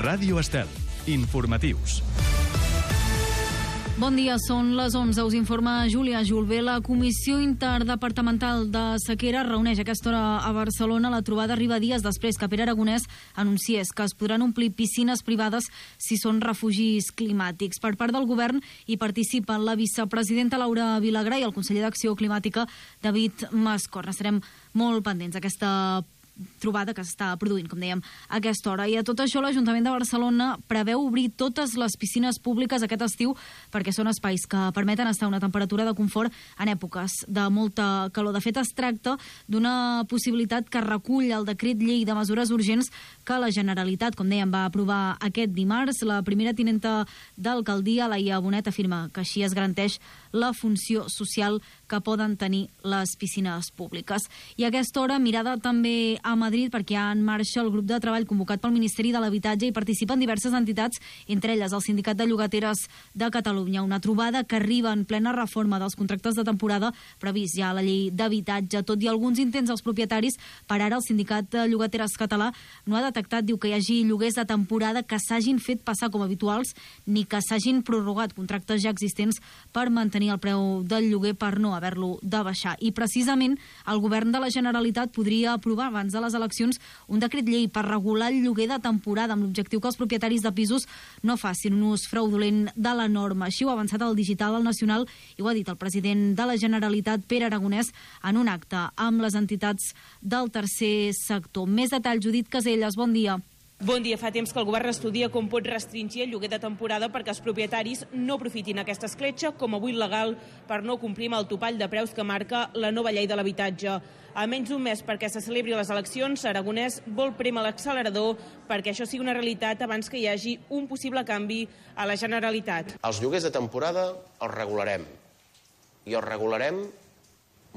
Ràdio Estel. Informatius. Bon dia, són les 11. Us informa Júlia Julbé. La Comissió Interdepartamental de Sequera reuneix a aquesta hora a Barcelona. La trobada arriba dies després que Pere Aragonès anunciés que es podran omplir piscines privades si són refugis climàtics. Per part del govern hi participen la vicepresidenta Laura Vilagrà i el conseller d'Acció Climàtica David Mascort. Estarem molt pendents d'aquesta trobada que s'està produint, com dèiem, a aquesta hora. I a tot això, l'Ajuntament de Barcelona preveu obrir totes les piscines públiques aquest estiu perquè són espais que permeten estar a una temperatura de confort en èpoques de molta calor. De fet, es tracta d'una possibilitat que recull el decret llei de mesures urgents que la Generalitat, com dèiem, va aprovar aquest dimarts. La primera tinenta d'alcaldia, Laia Bonet, afirma que així es garanteix la funció social que poden tenir les piscines públiques. I a aquesta hora, mirada també a Madrid, perquè hi ha en marxa el grup de treball convocat pel Ministeri de l'Habitatge i participen diverses entitats, entre elles el Sindicat de Llogateres de Catalunya. Una trobada que arriba en plena reforma dels contractes de temporada previst ja a la llei d'habitatge. Tot i alguns intents dels propietaris, per ara el Sindicat de Llogateres català no ha detectat, diu, que hi hagi lloguers de temporada que s'hagin fet passar com habituals ni que s'hagin prorrogat contractes ja existents per mantenir el preu del lloguer per no haver-lo de baixar. I precisament el govern de la Generalitat podria aprovar abans de les eleccions un decret llei per regular el lloguer de temporada amb l'objectiu que els propietaris de pisos no facin un ús fraudulent de la norma. Així ho ha avançat el Digital al Nacional i ho ha dit el president de la Generalitat, Pere Aragonès, en un acte amb les entitats del tercer sector. Més detalls, Judit Caselles, bon dia. Bon dia. Fa temps que el govern estudia com pot restringir el lloguer de temporada perquè els propietaris no aprofitin aquesta escletxa com a buit legal per no complir amb el topall de preus que marca la nova llei de l'habitatge. A menys d'un mes perquè se celebri les eleccions, Aragonès vol prémer l'accelerador perquè això sigui una realitat abans que hi hagi un possible canvi a la Generalitat. Els lloguers de temporada els regularem i els regularem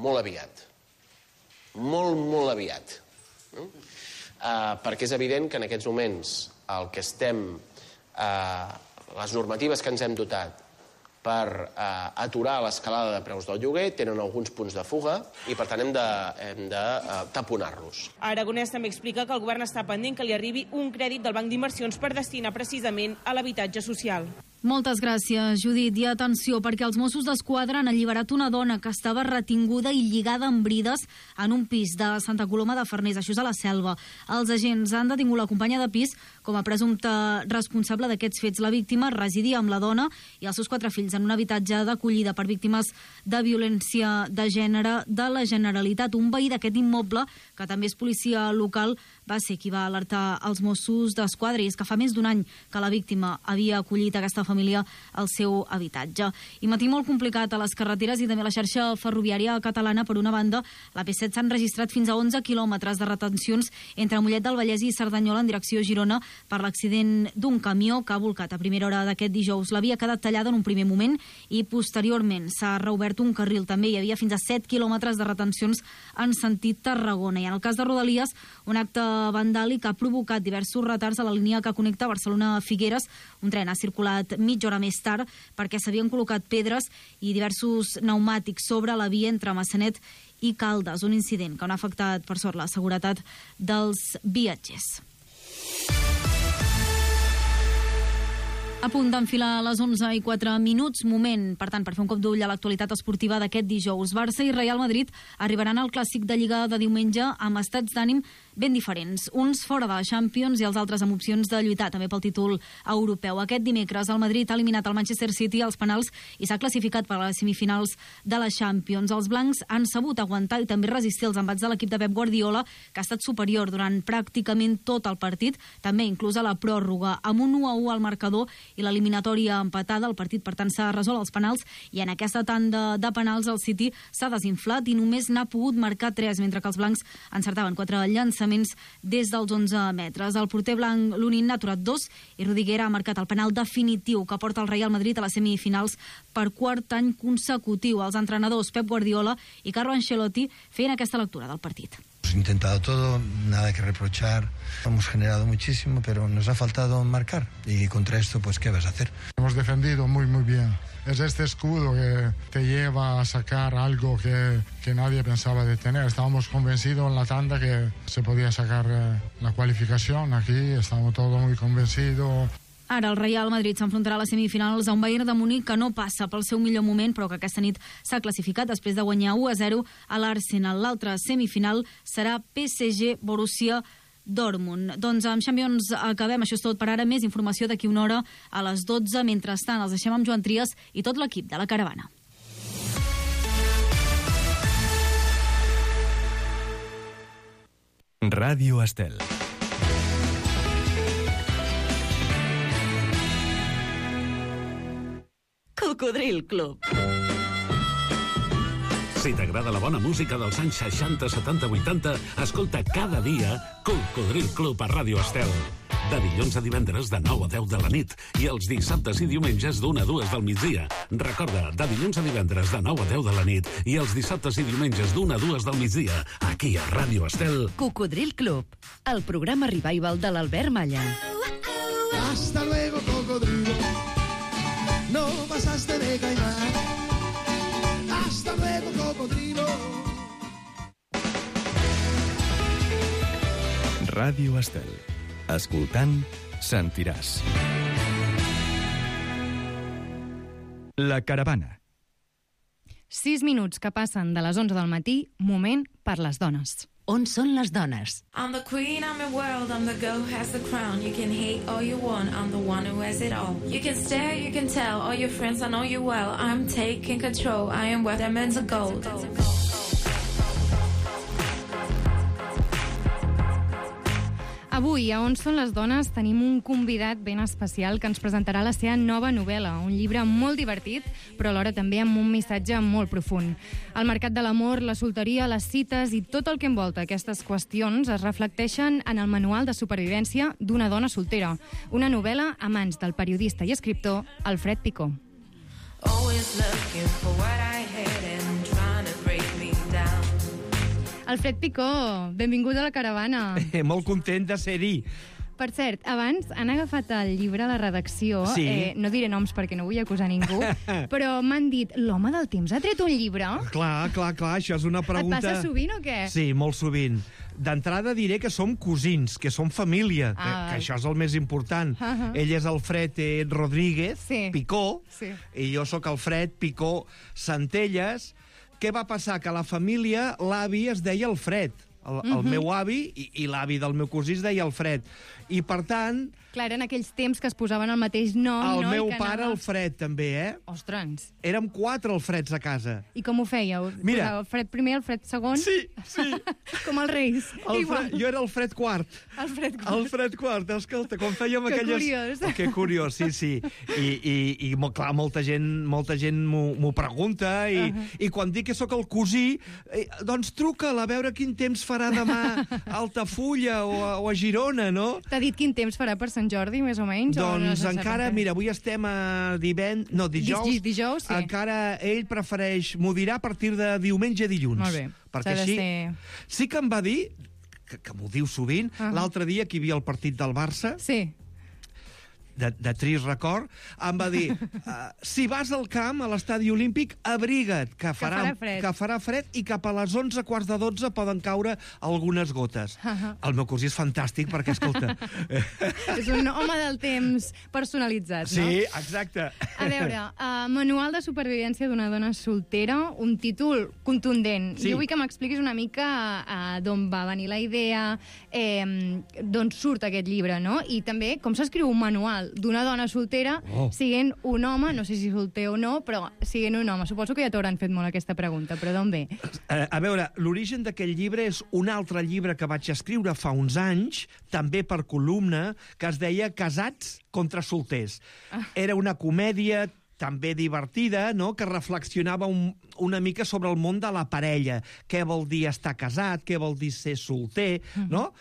molt aviat. Molt aviat. Perquè és evident que en aquests moments el que les normatives que ens hem dotat per aturar l'escalada de preus del lloguer tenen alguns punts de fuga i per tant hem de taponar-los. Aragonès també explica que el govern està pendent que li arribi un crèdit del Banc d'Inversions per destinar precisament a l'habitatge social. Moltes gràcies, Judit. I atenció, perquè els Mossos d'Esquadra han alliberat una dona que estava retinguda i lligada amb brides en un pis de Santa Coloma de Farners, això és a la Selva. Els agents han detingut la companya de pis com a presumpte responsable d'aquests fets. La víctima residia amb la dona i els seus 4 fills en un habitatge d'acollida per víctimes de violència de gènere de la Generalitat. Un veí d'aquest immoble, que també és policia local, va ser qui va alertar els Mossos d'Esquadra, i és que fa més d'un any que la víctima havia acollit aquesta família al seu habitatge. I matí molt complicat a les carreteres i també a la xarxa ferroviària catalana. Per una banda, la P7 s'han registrat fins a 11 quilòmetres de retencions entre Mollet del Vallès i Cerdanyola en direcció a Girona per l'accident d'un camió que ha volcat a primera hora d'aquest dijous. La via ha quedat tallada en un primer moment i posteriorment s'ha reobert un carril. També hi havia fins a 7 quilòmetres de retencions en sentit Tarragona. I en el cas de Rodalies, un acte vandàlic ha provocat diversos retards a la línia que connecta Barcelona a Figueres. Un tren ha circulat mitja hora més tard perquè s'havien col·locat pedres i diversos pneumàtics sobre la via entre Massanet i Caldes, un incident que no ha afectat, per sort, la seguretat dels viatgers. A punt d'enfilar a les 11:04, moment, per tant, per fer un cop d'ull a l'actualitat esportiva d'aquest dijous. Barça i Real Madrid arribaran al clàssic de Lliga de diumenge amb estats d'ànim ben diferents, uns fora de la Champions i els altres amb opcions de lluitar també pel títol europeu. Aquest dimecres el Madrid ha eliminat el Manchester City als penals i s'ha classificat per a les semifinals de la Champions. Els blancs han sabut aguantar i també resistir els embats de l'equip de Pep Guardiola, que ha estat superior durant pràcticament tot el partit, també inclús a la pròrroga, amb un 1-1 al marcador i l'eliminatòria empatada. El partit, per tant, s'ha resolt als penals i en aquesta tanda de penals el City s'ha desinflat i només n'ha pogut marcar 3, mentre que els blancs encertaven 4 llançaments des dels 11 metres. El porter blanc Lunin n'ha aturat 2 i Rudiger ha marcat el penal definitiu que porta el Real Madrid a les semifinals per 4 any consecutiu. Els entrenadors Pep Guardiola i Carlo Ancelotti feien aquesta lectura del partit. hemos intentado todo, nada que reprochar. Hemos generado muchísimo, pero nos ha faltado marcar. Y contra esto, pues, ¿qué vas a hacer? Hemos defendido muy, muy bien. Es este escudo que te lleva a sacar algo que nadie pensaba de tener. Estábamos convencidos en la tanda que se podía sacar la qualificación. Aquí estamos todos muy convencidos. Ara el Real Madrid s'enfrontarà a les semifinals a un Bayern de Munic que no passa pel seu millor moment, però que aquesta nit s'ha classificat després de guanyar 1-0 a l'Arsenal. L'altra semifinal serà PSG-Borussia Dortmund. Doncs amb Champions acabem. Això és tot per ara. Més informació d'aquí una hora a les 12. Mentrestant, els deixem amb Joan Trias i tot l'equip de la Caravana. Ràdio Estel. Cocodril Club. Si t'agrada la bona música dels anys 60, 70, 80, escolta cada dia Cocodril Club a Ràdio Estel. De dilluns a divendres de 9 a 10 de la nit i els dissabtes i diumenges d'1 a 2 del migdia. Recorda, de dilluns a divendres de 9 a 10 de la nit i els dissabtes i diumenges d'1 a 2 del migdia, aquí a Ràdio Estel. Cocodril Club, el programa revival de l'Albert Malla. Hasta luego, cocodrilo. No pasaste de caimán. Hasta luego, cocodrilo. Ràdio Estel. Escoltant, sentiràs. La Caravana. 6 minuts que passen de les 11 del matí, moment per les dones. On són les dones? I'm the queen, I'm your world, I'm the girl who has the crown. You can hate all you want, I'm the one who has it all. You can stare, you can tell, all your friends, I know you well. I'm taking control, I am worth diamonds of gold. Avui, a On són les dones, tenim un convidat ben especial que ens presentarà la seva nova novel·la, un llibre molt divertit, però alhora també amb un missatge molt profund. El mercat de l'amor, la solteria, les cites i tot el que envolta aquestes qüestions es reflecteixen en el manual de supervivència d'una dona soltera, una novel·la a mans del periodista i escriptor Alfred Picó. Alfred Picó, benvingut a la Caravana. Molt content de ser-hi. Per cert, abans han agafat el llibre a la redacció, sí. No diré noms perquè no vull acusar ningú, però m'han dit, l'home del temps ha tret un llibre? Clar, això és una pregunta... Et passa sovint o què? Sí, molt sovint. D'entrada diré que som cosins, que som família, que això és el més important. Ell és Alfred Rodríguez Picó, i jo sóc Alfred Picó Centelles. Què va passar? Que a la família l'avi es deia Alfred. El meu avi i l'avi del meu cosí es deia Alfred. I, per tant... Clar, eren aquells temps que es posaven el mateix nom, el meu pare, Alfred, també, Ostres. Érem 4 Alfreds a casa. I com ho fèieu? Mira. Alfred primer, Alfred segon? Sí. Com els reis. Jo era Alfred quart. Alfred quart, escolta, quan fèiem aquelles... Que curiós. Que curiós, sí. I clar, molta gent m'ho pregunta, i quan dic que sóc el cosí, doncs truca'l a veure quin temps farà demà a Altafulla o a Girona, no? T'ha dit quin temps farà per Sant Jordi, més o menys? Doncs encara, mira, avui estem a dijous. Dijous, sí. Encara ell prefereix, m'ho dirà a partir de diumenge a dilluns. Molt bé. Perquè així... Sí que em va dir, que m'ho diu sovint, l'altre dia que hi havia el partit del Barça... Sí. De trist record, em va dir si vas al camp, a l'estadi olímpic, abriga't, que farà fred i cap a les 11:15 poden caure algunes gotes. El meu cosí és fantàstic perquè, escolta... És un home del temps personalitzat, no? Sí, exacte. A veure, Manual de supervivència d'una dona soltera, un títol contundent. Jo vull que m'expliquis una mica d'on va venir la idea, d'on surt aquest llibre, no? I també com s'escriu un manual d'una dona soltera siguent un home, no sé si solter o no, però siguent un home. Suposo que ja t'hauran fet molt aquesta pregunta, però d'on ve? A veure, l'origen d'aquest llibre és un altre llibre que vaig escriure fa uns anys, també per columna, que es deia Casats contra solters. Era una comèdia també divertida, no?, que reflexionava una mica sobre el món de la parella. Què vol dir estar casat, què vol dir ser solter, no?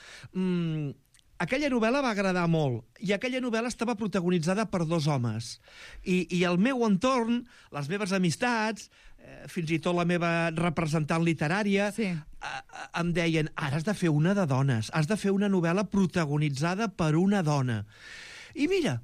Aquella novel·la va agradar molt, i aquella novel·la estava protagonitzada per 2 homes. I el meu entorn, les meves amistats, fins i tot la meva representant literària, em deien, ara has de fer una de dones, has de fer una novel·la protagonitzada per una dona. I mira,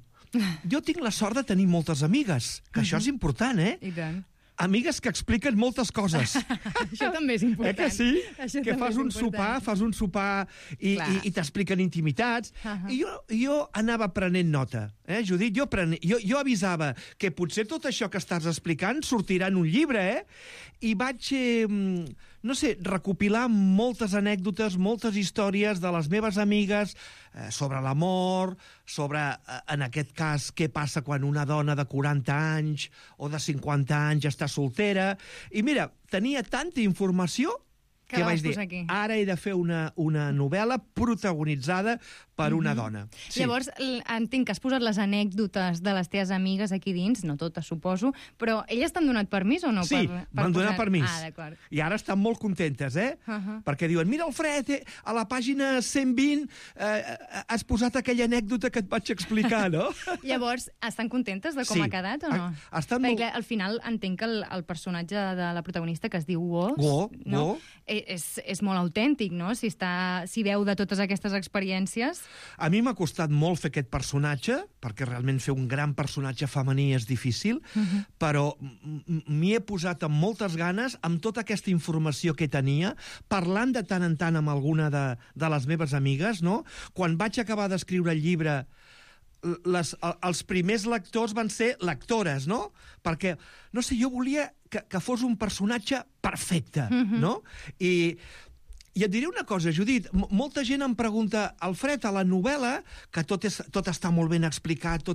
jo tinc la sort de tenir moltes amigues, que això és important, I tant. Amigues que expliquen moltes coses. Això també és important. Que sí? Això Que fas un sopar i t'expliquen intimitats. I jo anava prenent nota, Judit? Jo avisava que potser tot això que estàs explicant sortirà en un llibre, I vaig, no sé, recopilar moltes anècdotes, moltes històries de les meves amigues sobre l'amor, sobre, en aquest cas, què passa quan una dona de 40 anys o de 50 anys està soltera. I mira, tenia tanta informació que vaig dir, ara he de fer una novel·la protagonitzada per una dona. Sí. Llavors, entenc que has posat les anècdotes de les teves amigues aquí dins, no totes, suposo, però elles t'han donat permís o no? Sí, m'han donat permís. D'acord. I ara estan molt contentes, Perquè diuen, mira, Alfred, a la pàgina 120 has posat aquella anècdota que et vaig explicar, no? Llavors, estan contentes de com ha quedat o no? Perquè al final entenc que el personatge de la protagonista, que es diu Go, és molt autèntic, no? Si veu de totes aquestes experiències. A mi m'ha costat molt fer aquest personatge, perquè realment fer un gran personatge femení és difícil, però m'hi he posat amb moltes ganes, amb tota aquesta informació que tenia, parlant de tant en tant amb alguna de les meves amigues, no? Quan vaig acabar d'escriure el llibre, els primers lectors van ser lectores, no? Perquè, no sé, jo volia que fos un personatge perfecte, no? I et diré una cosa, Judit, molta gent em pregunta, Alfred, a la novel·la, que tot està molt ben explicat,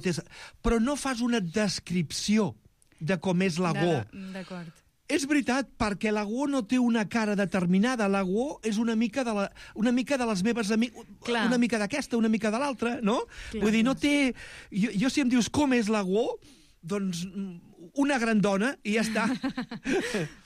però no fas una descripció de com és la Go. D'acord. És veritat, perquè la Go no té una cara determinada. La Go és una mica de les meves amigues, una mica d'aquesta, una mica de l'altra, no? Vull dir, no té... Jo si em dius com és la Go, doncs una gran dona i ja està.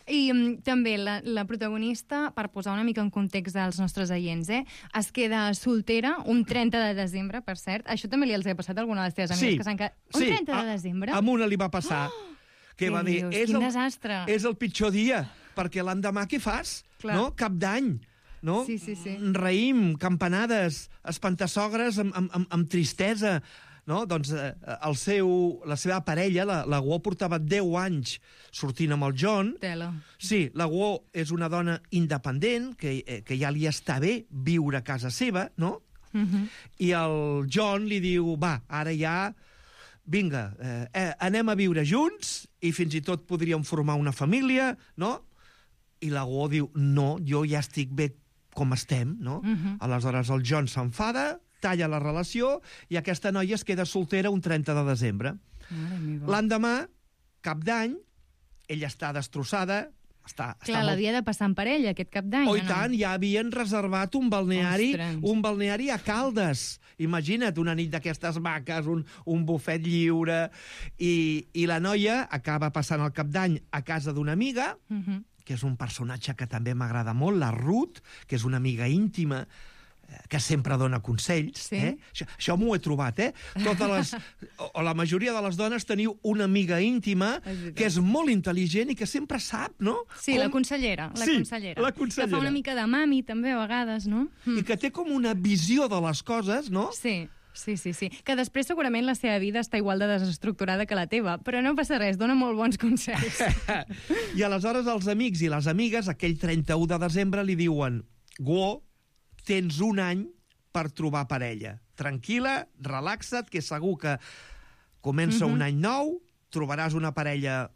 I també la protagonista, per posar una mica en context dels nostres oients, es queda soltera un 30 de desembre, per cert. Això també li els ha passat a alguna de les teves amigues que s'han quedat... Un 30 de desembre? A una li va passar. Que va dir, quin desastre. És el pitjor dia, perquè l'endemà què fas? No? Cap d'any. No? Sí. Raïm, campanades, espantassogres amb tristesa. No? Doncs la seva parella, la Go, portava 10 anys sortint amb el John. Sí, la Go és una dona independent, que ja li està bé viure a casa seva, no? I el John li diu, va, ara ja... Vinga, anem a viure junts i fins i tot podríem formar una família, no? I la Go diu, no, jo ja estic bé com estem, no? Aleshores el John s'enfada, talla la relació i aquesta noia es queda soltera un 30 de desembre. L'endemà, cap d'any, ella està destrossada, Clar, l'havia de passar en parella, aquest cap d'any. Oh, i tant, ja havien reservat un balneari a Caldes. Imagina't, una nit d'aquestes maques, un bufet lliure, i la noia acaba passant el cap d'any a casa d'una amiga, que és un personatge que també m'agrada molt, la Ruth, que és una amiga íntima, que sempre dona consells. Això m'ho he trobat, o la majoria de les dones teniu una amiga íntima que és molt intel·ligent i que sempre sap, no? Sí, la consellera. Que fa una mica de mami, també, a vegades, no? I que té com una visió de les coses, no? Sí. Que després segurament la seva vida està igual de desestructurada que la teva, però no passa res, dona molt bons consells. I aleshores els amics i les amigues, aquell 31 de desembre, li diuen, Go, tens un any per trobar parella. Tranquil·la, relaxa't, que segur que comença un any nou, trobaràs una parella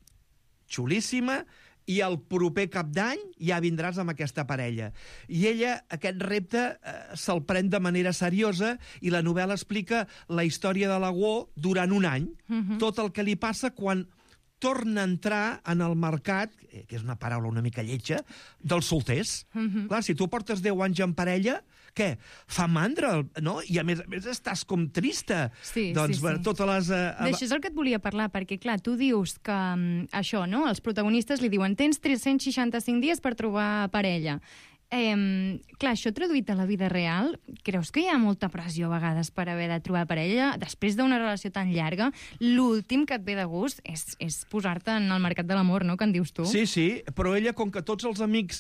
xulíssima i el proper cap d'any ja vindràs amb aquesta parella. I ella, aquest repte, se'l pren de manera seriosa i la novel·la explica la història de la Go durant un any. Tot el que li passa quan torna a entrar en el mercat, que és una paraula una mica lletja, dels solters. Clar, si tu portes 10 anys en parella, què? Fa mandra, no? I a més estàs com trista. Doncs totes les... D'això és el que et volia parlar, perquè clar, tu dius que això, no? Els protagonistes li diuen tens 365 dies per trobar parella. Clar, això traduït a la vida real, creus que hi ha molta pressió a vegades per haver de trobar parella? Després d'una relació tan llarga, l'últim que et ve de gust és posar-te en el mercat de l'amor, no?, que en dius tu. Sí, però ella, com que tots els amics,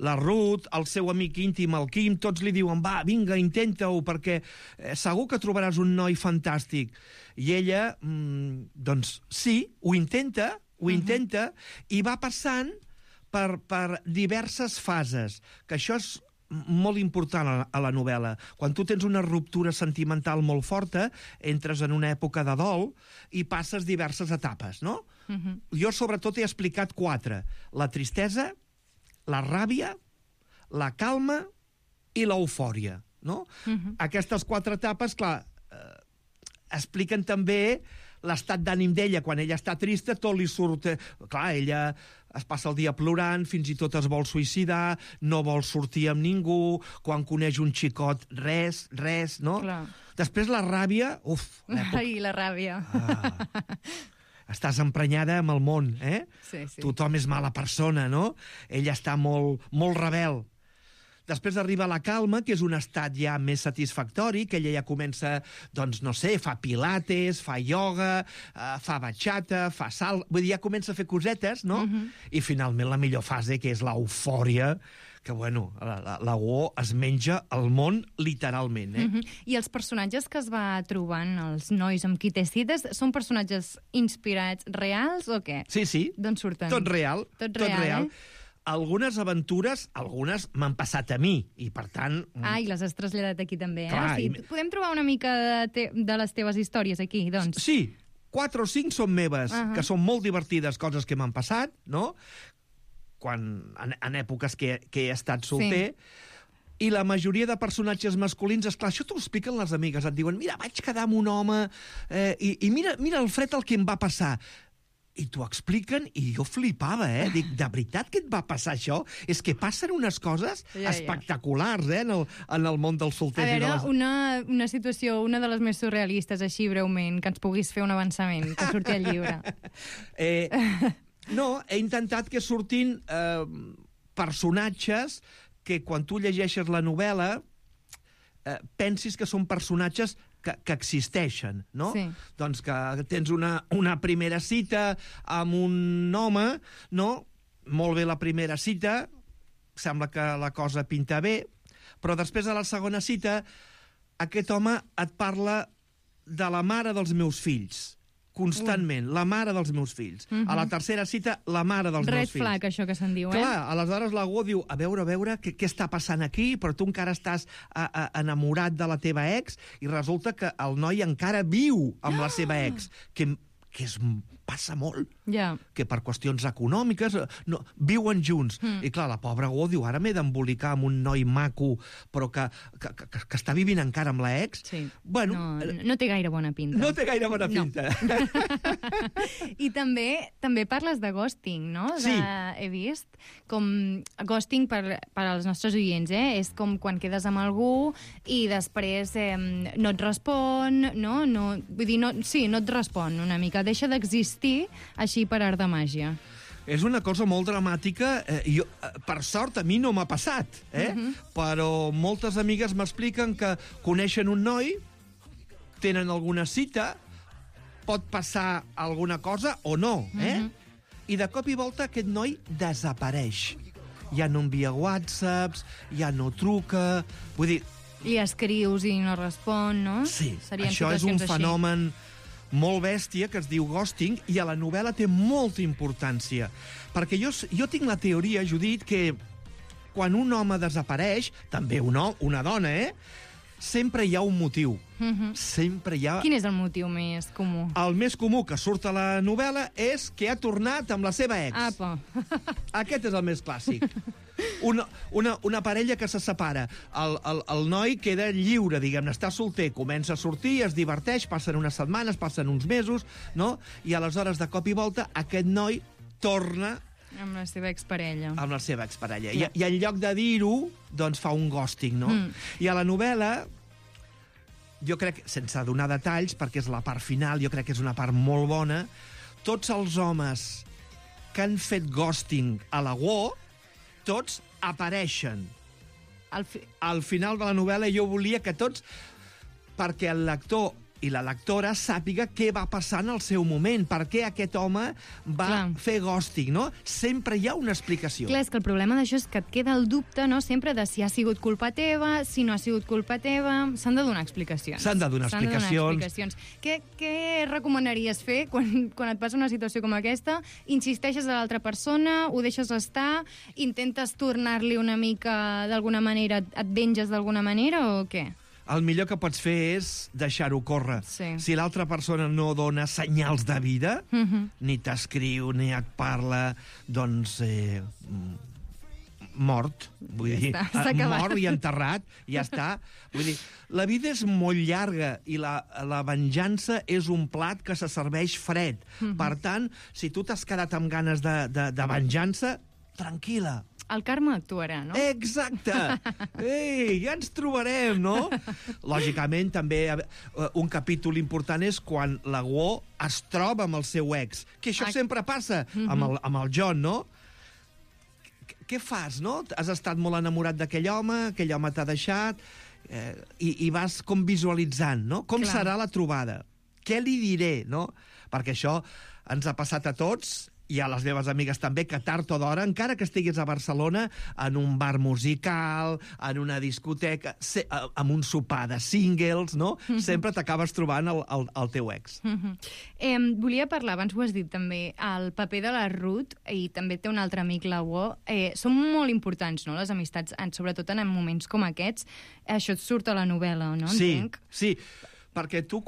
la Ruth, el seu amic íntim, el Quim, tots li diuen, va, vinga, intenta-ho, perquè segur que trobaràs un noi fantàstic. I ella, doncs, sí, ho intenta, i va passant per diverses fases, que això és molt important a la novel·la. Quan tu tens una ruptura sentimental molt forta, entres en una època de dol i passes diverses etapes, no? Jo, sobretot, he explicat 4. La tristesa, la ràbia, la calma i l'eufòria, no? Aquestes 4 etapes, clar, expliquen també l'estat d'ànim d'ella. Quan ella està trista, tot li surt... Clar, ella es passa el dia plorant, fins i tot es vol suïcidar, no vol sortir amb ningú, quan coneix un xicot, res, no? Clar. Després la ràbia... Ai, la ràbia. Estàs emprenyada amb el món, eh? Sí. Tothom és mala persona, no? Ella està molt rebel. Després arriba la calma, que és un estat ja més satisfactori, que ella ja comença, doncs, no sé, fa pilates, fa ioga, fa bachata, fa salt... Vull dir, ja comença a fer cosetes, no? I finalment la millor fase, que és l'eufòria, que, bueno, la Go es menja el món literalment, eh? I els personatges que es va trobant, els nois amb qui té cites, són personatges inspirats reals o què? Sí. D'on surten? Tot real. Algunes aventures, algunes m'han passat a mi, i per tant... I les has traslladat aquí també, eh? Clar, podem trobar una mica de les teves històries aquí, doncs? Sí, 4 o 5 són meves, que són molt divertides, coses que m'han passat, no? En èpoques que he estat solter... I la majoria de personatges masculins, esclar, això t'ho expliquen les amigues, et diuen, mira, vaig quedar amb un home, i mira, Alfred, el que em va passar. I t'ho expliquen, i jo flipava, eh? Dic, de veritat que et va passar això? És que passen unes coses espectaculars, eh? En el món dels solters. A veure, una situació, una de les més surrealistes, així breument, que ens puguis fer un avançament, que surti al llibre. No, he intentat que surtin personatges que quan tu llegeixes la novel·la pensis que són personatges que existeixen, no? Sí. Doncs que tens una primera cita amb un home, no? Molt bé la primera cita, sembla que la cosa pinta bé, però després de la segona cita aquest home et parla de la mare dels meus fills, constantment, la mare dels meus fills. A la tercera cita, la mare dels meus fills. Red flag, això que se'n diu, eh? Clar, aleshores la Go diu, a veure, què està passant aquí? Però tu encara estàs enamorat de la teva ex, i resulta que el noi encara viu amb la seva ex, que passa molt, que per qüestions econòmiques viuen junts. I clar, la pobra Go diu, ara m'he d'embolicar amb un noi maco, però que està vivint encara amb l'ex. Bueno, no té gaire bona pinta. No té gaire bona pinta. I també parles de ghosting, no? Sí. He vist com ghosting per als nostres oients, és com quan quedes amb algú i després no et respon, no? Vull dir, no et respon una mica, deixa d'existir així per art de màgia. És una cosa molt dramàtica. Per sort, a mi no m'ha passat, però moltes amigues m'expliquen que coneixen un noi, tenen alguna cita, pot passar alguna cosa o no, i de cop i volta aquest noi desapareix. Ja no envia whatsapps, ja no truca... Vull dir... Li escrius i no respon, no? Sí, això és un fenomen molt bèstia que es diu ghosting, i a la novel·la té molta importància. Perquè jo tinc la teoria, Judit, que quan un home desapareix, també una dona, sempre hi ha un motiu. Sempre hi ha... Quin és el motiu més comú? El més comú que surt a la novel·la és que ha tornat amb la seva ex. Apa. Aquest és el més clàssic. Una parella que se separa. El noi queda lliure, diguem-ne, està solter, comença a sortir, es diverteix, passen unes setmanes, passen uns mesos, no? I aleshores, de cop i volta, aquest noi torna amb la seva exparella. Amb la seva exparella. I en lloc de dir-ho, doncs fa un ghosting, no? I a la novel·la, jo crec, sense donar detalls, perquè és la part final, jo crec que és una part molt bona, tots els homes que han fet ghosting a la Go, tots apareixen. Al final de la novel·la jo volia que tots, perquè el lector i la lectora sàpiga què va passar en el seu moment, per què aquest home va fer ghosting, no? Sempre hi ha una explicació. Clar, és que el problema d'això és que et queda el dubte, no?, sempre de si ha sigut culpa teva, si no ha sigut culpa teva. S'han de donar explicacions. S'han de donar explicacions. Què recomanaries fer quan et passa una situació com aquesta? Insisteixes a l'altra persona, ho deixes estar, intentes tornar-li una mica d'alguna manera, et venges d'alguna manera o què? El millor que pots fer és deixar-ho córrer. Sí. Si l'altra persona no dona senyals de vida, ni t'escriu, ni et parla, doncs mort. Vull dir, mort i enterrat, ja està. Vull dir, la vida és molt llarga i la venjança és un plat que se serveix fred. Per tant, si tu t'has quedat amb ganes de venjança, tranquil·la. El karma actuarà, no? Exacte! Ei, ja ens trobarem, no? Lògicament, també un capítol important és quan la Guo es troba amb el seu ex, que això sempre passa amb el John, no? Què fas, no? Has estat molt enamorat d'aquell home t'ha deixat, i vas com visualitzant, no? Com serà la trobada? Què li diré, no? Perquè això ens ha passat a tots, i a les meves amigues també, que tard o d'hora, encara que estiguis a Barcelona, en un bar musical, en una discoteca, amb un sopar de singles, no? Sempre t'acabes trobant el teu ex. Volia parlar, abans ho has dit també, el paper de la Ruth, i també té un altre amic, la Guo. Són molt importants, no?, les amistats, sobretot en moments com aquests. Això et surt a la novel·la, no? Entenc? Sí, perquè tu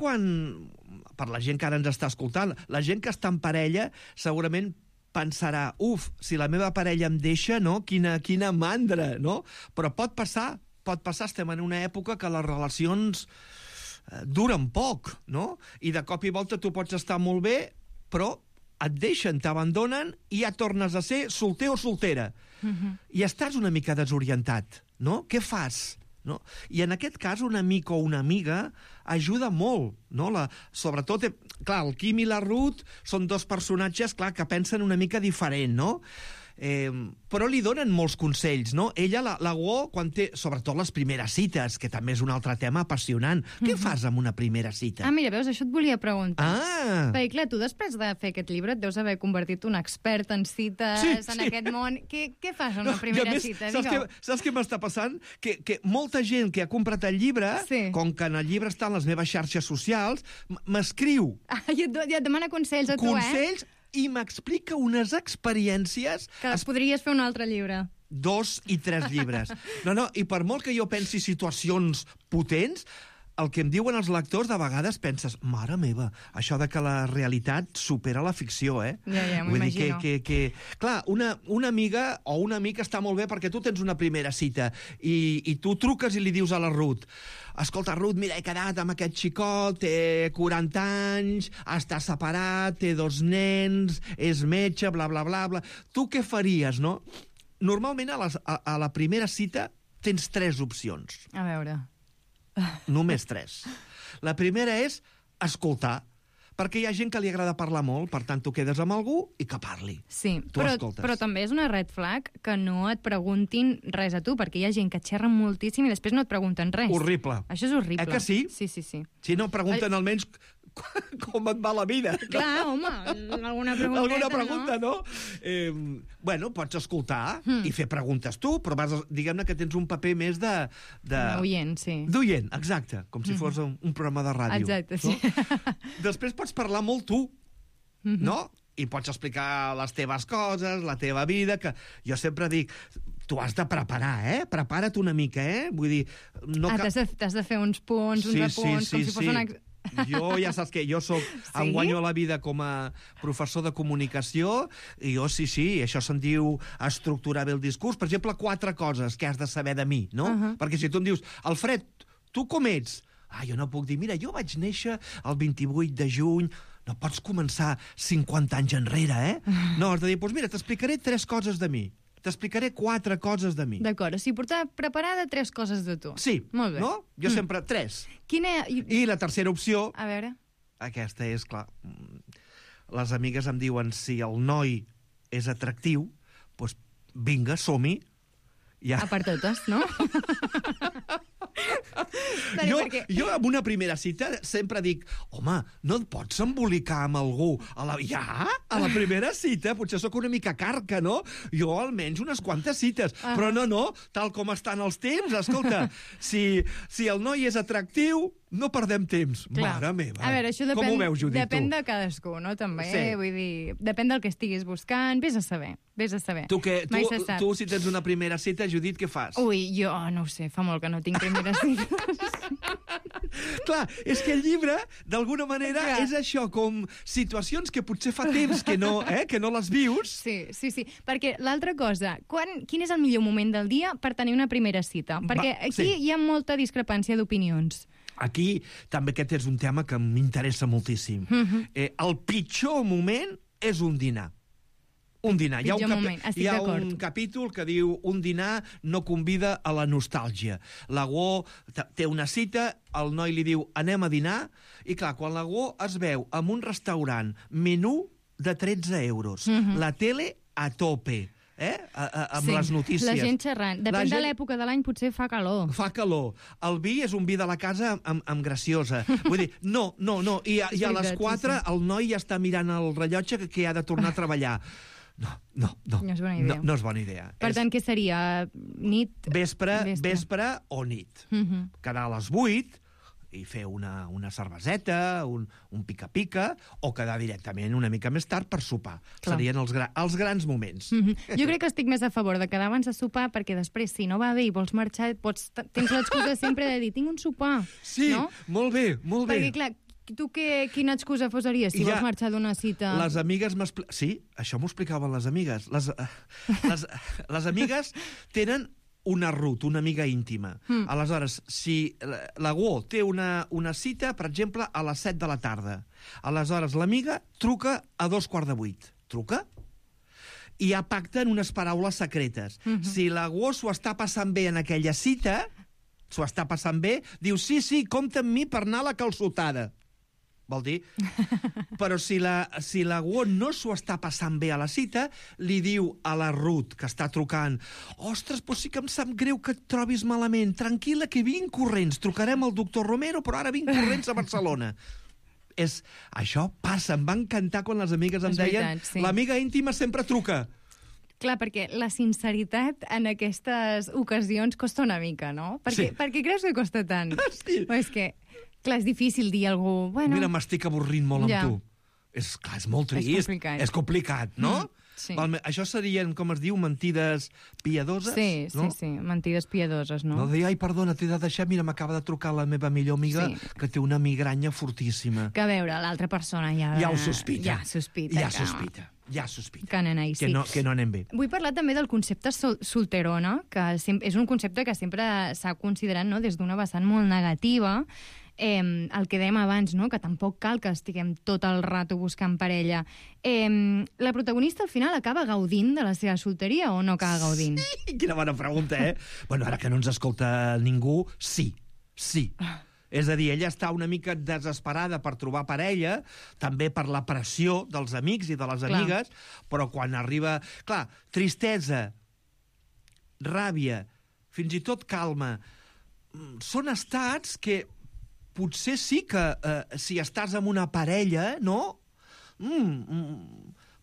per la gent que ara ens està escoltant, la gent que està en parella segurament pensarà, si la meva parella em deixa, no? Quina mandra, no? Però pot passar, estem en una època que les relacions duren poc, no? I de cop i volta tu pots estar molt bé, però et deixen, t'abandonen i ja tornes a ser solter o soltera. I estàs una mica desorientat, no? Què fas? No? I en aquest cas un amic o una amiga ajuda molt, no? Sobretot, clar, el Quim i la Ruth són dos personatges, clar, que pensen una mica diferent, no? Però li donen molts consells, no? Ella, la Guo, quan té, sobretot les primeres cites, que també és un altre tema apassionant. Què fas amb una primera cita? Mira, veus, això et volia preguntar. Perquè, clar, tu després de fer aquest llibre et deus haver convertit un expert en cites, en aquest món. Què fas en una primera cita? Saps què m'està passant? Que molta gent que ha comprat el llibre, com que en el llibre estan les meves xarxes socials, m'escriu. I et demana consells a tu, Consells, i m'explica unes experiències... Que podries fer un altre llibre. 2 i 3 llibres. No, i per molt que jo pensi situacions potents, el que em diuen els lectors, de vegades penses, mare meva, això de que la realitat supera la ficció, Ja, m'ho imagino. Clar, una amiga o un amic està molt bé perquè tu tens una primera cita i tu truques i li dius a la Ruth, escolta, Ruth, mira, he quedat amb aquest xicot, té 40 anys, està separat, té 2 nens, és metge, bla, bla, bla, bla. Tu què faries, no? Normalment a la primera cita tens 3 opcions. A veure... Només 3. La primera és escoltar, perquè hi ha gent que li agrada parlar molt, per tant, tu quedes amb algú i que parli. Sí, tu escoltes. Però també és una red flag que no et preguntin res a tu, perquè hi ha gent que et xerra moltíssim i després no et pregunten res. Horrible. Això és horrible. Que sí? Sí. Si no pregunten almenys com et va la vida. Clar, home, alguna pregunta, no? Bueno, pots escoltar i fer preguntes tu, però diguem-ne que tens un paper més de... D'oient, sí. D'oient, exacte, com si fos un programa de ràdio. Exacte, sí. No? Després pots parlar molt tu, no? I pots explicar les teves coses, la teva vida, que jo sempre dic... Tu has de preparar, Prepara't una mica, Vull dir... T'has de fer uns punts, uns apunts, com si fos una... Jo, ja saps que jo em guanyo la vida com a professor de comunicació i jo, això se'n diu estructurar bé el discurs. Per exemple, 4 coses que has de saber de mi, no? Perquè si tu em dius, Alfred, tu com ets? Jo no puc dir, mira, jo vaig néixer el 28 de juny... No pots començar 50 anys enrere, No, has de dir, doncs mira, t'explicaré 3 coses de mi. T'explicaré 4 coses de mi. D'acord, o sigui, portar preparada 3 coses de tu. Sí, molt bé. No? Jo sempre 3. Quina... I la tercera opció... A veure... Aquesta és, clar... Les amigues em diuen, si el noi és atractiu, doncs vinga, som-hi. A per totes, no? Jo, amb una primera cita, sempre dic, home, no et pots embolicar amb algú a la primera cita? Potser sóc una mica carca, no? Jo almenys unes quantes cites. Però no, tal com estan els temps, escolta, si el noi és atractiu, no perdem temps. Mare meva. A veure, això com ho veus, Judit, depèn de cadascú, no? També, vull dir, depèn del que estiguis buscant, vés a saber. Tu, si tens una primera cita, Judit, què fas? Ui, jo no ho sé, fa molt que no tinc primera cita. Clar, és que el llibre, d'alguna manera, és això, com situacions que potser fa temps que no les vius. Sí, perquè l'altra cosa, quin és el millor moment del dia per tenir una primera cita? Perquè aquí hi ha molta discrepància d'opinions. Aquí també aquest és un tema que m'interessa moltíssim. El pitjor moment és un dinar. Un dinar. Hi ha un capítol que diu un dinar no convida a la nostàlgia. L'Agó té una cita, el noi li diu anem a dinar, i clar, quan l'Agó es veu en un restaurant, menú de 13 euros, la tele a tope, amb les notícies. La gent xerrant. Depèn de l'època de l'any, potser fa calor. Fa calor. El vi és un vi de la casa amb graciosa. Vull dir, no. I a les 4 el noi ja està mirant el rellotge que ha de tornar a treballar. No. No és bona idea. No és bona idea. Per tant, què seria? Nit? Vespre o nit. Quedar a les 8 i fer una cerveseta, un pica-pica, o quedar directament una mica més tard per sopar. Serien els grans moments. Jo crec que estic més a favor de quedar abans de sopar, perquè després, si no va bé i vols marxar, tens l'excusa sempre de dir, tinc un sopar. Sí, molt bé. Perquè, clar, tu quina excusa posaries si vols marxar d'una cita? Les amigues sí, això m'ho explicaven les amigues. Les amigues tenen una Ruth, una amiga íntima. Aleshores, si l'Agó té una cita, per exemple, a les 7 de la tarda, aleshores l'amiga truca a 7:45. Truca? I ja pacten unes paraules secretes. Si l'Agó s'ho està passant bé en aquella cita, diu, sí, compta amb mi per anar a la calçotada. Vol dir? Però si l'Agó no s'ho està passant bé a la cita, li diu a la Ruth, que està trucant, ostres, però sí que em sap greu que et trobis malament, tranquil·la que vinc corrents, trucarem al doctor Romero, però ara vinc corrents a Barcelona. Això passa, em va encantar quan les amigues em deien, l'amiga íntima sempre truca. Clar, perquè la sinceritat en aquestes ocasions costa una mica, no? Per què creus que costa tant? Sí. És que, clar, és difícil dir a algú... Mira, m'estic avorrint molt amb tu. És molt trist. És complicat, no? Sí. Això serien, com es diu, mentides piadoses? Sí, mentides piadoses, no? No dir, ai, perdona, t'he de deixar, mira, m'acaba de trucar la meva millor amiga que té una migranya fortíssima. Que a veure, l'altra persona ja ho sospita. Ja sospita. Que no anem bé. Vull parlar també del concepte solterona, que és un concepte que sempre s'ha considerat des d'una vessant molt negativa. El que dèiem abans, no? Que tampoc cal que estiguem tot el rato buscant parella. La protagonista al final acaba gaudint de la seva solteria o no acaba gaudint? Sí, quina bona pregunta, Bueno, ara que no ens escolta ningú, sí. És a dir, ella està una mica desesperada per trobar parella, també per la pressió dels amics i de les amigues, però quan arriba... Clar, tristesa, ràbia, fins i tot calma, són estats que potser sí que si estàs amb una parella, no?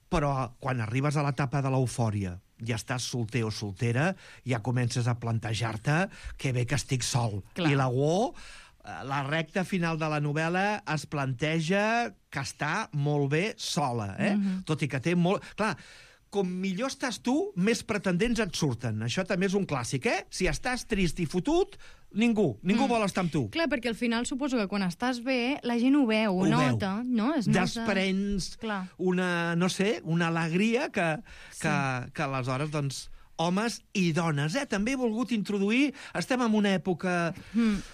Però quan arribes a l'etapa de l'eufòria, ja estàs solter o soltera, ja comences a plantejar-te que bé que estic sol. I l'Agó, la recta final de la novel·la, es planteja que està molt bé sola, tot i que té molt... Clar, com millor estàs tu, més pretendents et surten. Això també és un clàssic, Si estàs trist i fotut, ningú vol estar amb tu. Clar, perquè al final suposo que quan estàs bé, la gent ho veu, ho nota, no? Desprens una, no sé, una alegria que aleshores, doncs, homes i dones, també he volgut introduir... Estem en una època...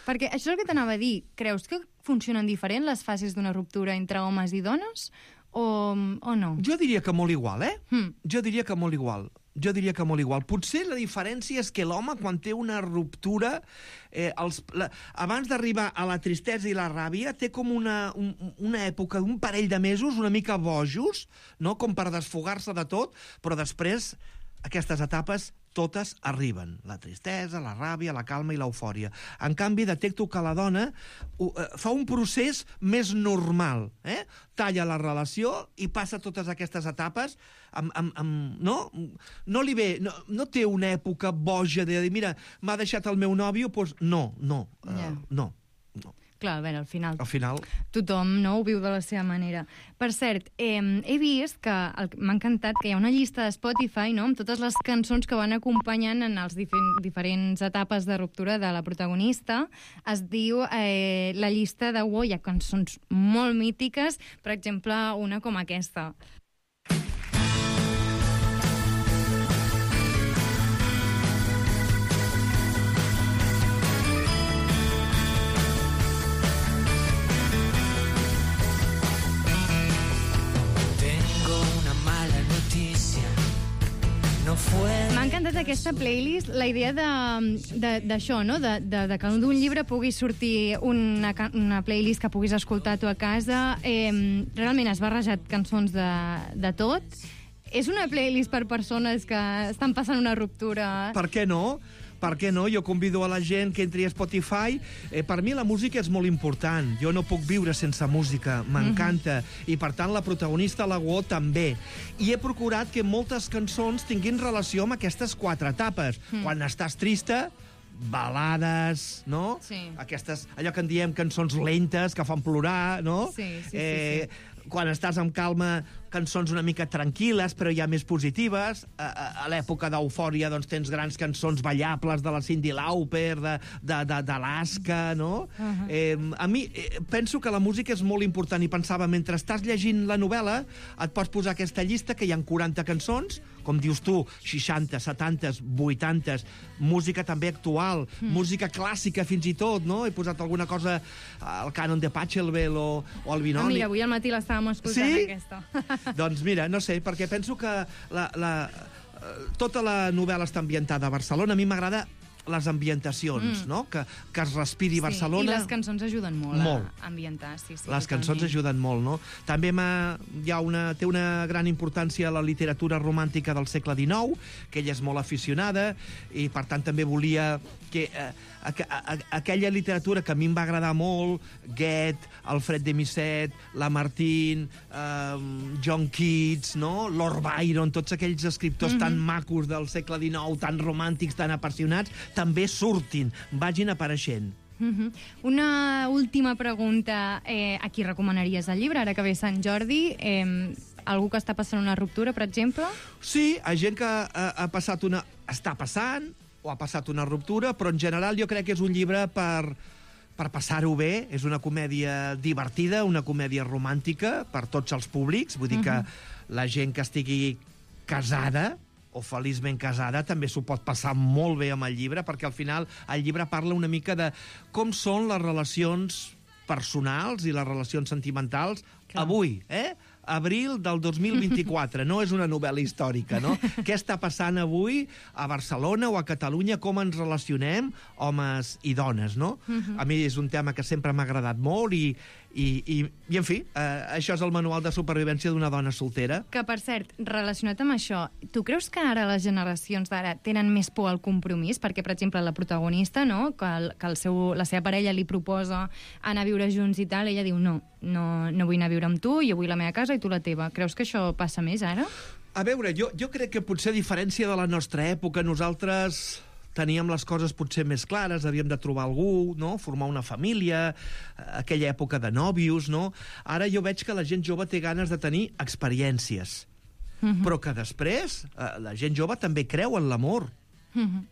Perquè això és el que t'anava a dir. Creus que funcionen diferent les fases d'una ruptura entre homes i dones? O no? Jo diria que molt igual, Jo diria que molt igual. Potser la diferència és que l'home, quan té una ruptura, abans d'arribar a la tristesa i la ràbia, té com una època, un parell de mesos una mica bojos, no? Com per desfogar-se de tot, però després aquestes etapes totes arriben. La tristesa, la ràbia, la calma i l'eufòria. En canvi, detecto que la dona fa un procés més normal. Talla la relació i passa totes aquestes etapes no? No li ve... No té una època boja de dir, mira, m'ha deixat el meu nòvio, doncs no. Clar, a veure, al final tothom ho viu de la seva manera. Per cert, he vist que m'ha encantat que hi ha una llista de Spotify, no?, amb totes les cançons que van acompanyant en les diferents etapes de ruptura de la protagonista. Es diu la llista de Wow, hi ha cançons molt mítiques, per exemple, una com aquesta. M'ha encantat aquesta playlist, la idea d'això, no? De que d'un llibre pugui sortir una playlist que puguis escoltar tu a casa. Realment has barrejat cançons de tot. És una playlist per persones que estan passant una ruptura. Per què no? Per què no? Jo convido a la gent que entri a Spotify. Per mi la música és molt important. Jo no puc viure sense música. M'encanta. I, per tant, la protagonista, la Guo, també. I he procurat que moltes cançons tinguin relació amb aquestes 4 etapes. Quan estàs trista, balades, no? Sí. Aquestes, allò que en diem cançons lentes, que fan plorar, no? Sí. Quan estàs amb calma, cançons una mica tranquil·les, però ja més positives. A l'època d'eufòria, doncs, tens grans cançons ballables de la Cyndi Lauper, d'Alaska, no? A mi, penso que la música és molt important i pensava, mentre estàs llegint la novel·la, et pots posar aquesta llista, que hi ha 40 cançons, com dius tu, 60, 70, 80, música també actual, música clàssica fins i tot, no? He posat alguna cosa, el Canon de Pachelbel o el Binoni. Mira, avui al matí l'estàvem escoltant, aquesta. Doncs mira, no sé, perquè penso que tota la novel·la està ambientada a Barcelona. A mi m'agrada les ambientacions, no? Que es respiri Barcelona. I les cançons ajuden molt a ambientar. Les cançons ajuden molt, no? També té una gran importància la literatura romàntica del segle XIX, que ella és molt aficionada, i per tant també volia que aquella literatura que a mi em va agradar molt, Goethe, Alfred de Musset, Lamartine, John Keats, no? Lord Byron, tots aquells escriptors tan macos del segle XIX, tan romàntics, tan apassionats, també surtin, vagin apareixent. Una última pregunta. A qui recomanaries el llibre, ara que ve Sant Jordi? Algú que està passant una ruptura, per exemple? Sí, hi ha gent que està passant o ha passat una ruptura, però en general jo crec que és un llibre per passar-ho bé. És una comèdia divertida, una comèdia romàntica per tots els públics. Vull dir que la gent que estigui casada o feliçment casada també s'ho pot passar molt bé amb el llibre, perquè al final el llibre parla una mica de com són les relacions personals i les relacions sentimentals avui, abril del 2024, no és una novel·la històrica, no? Què està passant avui a Barcelona o a Catalunya, com ens relacionem homes i dones, no? A mi és un tema que sempre m'ha agradat molt i en fi, això és el manual de supervivència d'una dona soltera. Que, per cert, relacionat amb això, tu creus que ara les generacions d'ara tenen més por al compromís? Perquè, per exemple, la protagonista, no?, que la seva parella li proposa anar a viure junts i tal, ella diu no vull anar a viure amb tu, jo vull la meva casa i tu la teva. Creus que això passa més ara? A veure, jo crec que potser a diferència de la nostra època, nosaltres teníem les coses potser més clares, havíem de trobar algú, no?, formar una família, aquella època de nòvios, no? Ara jo veig que la gent jove té ganes de tenir experiències, però que després la gent jove també creu en l'amor,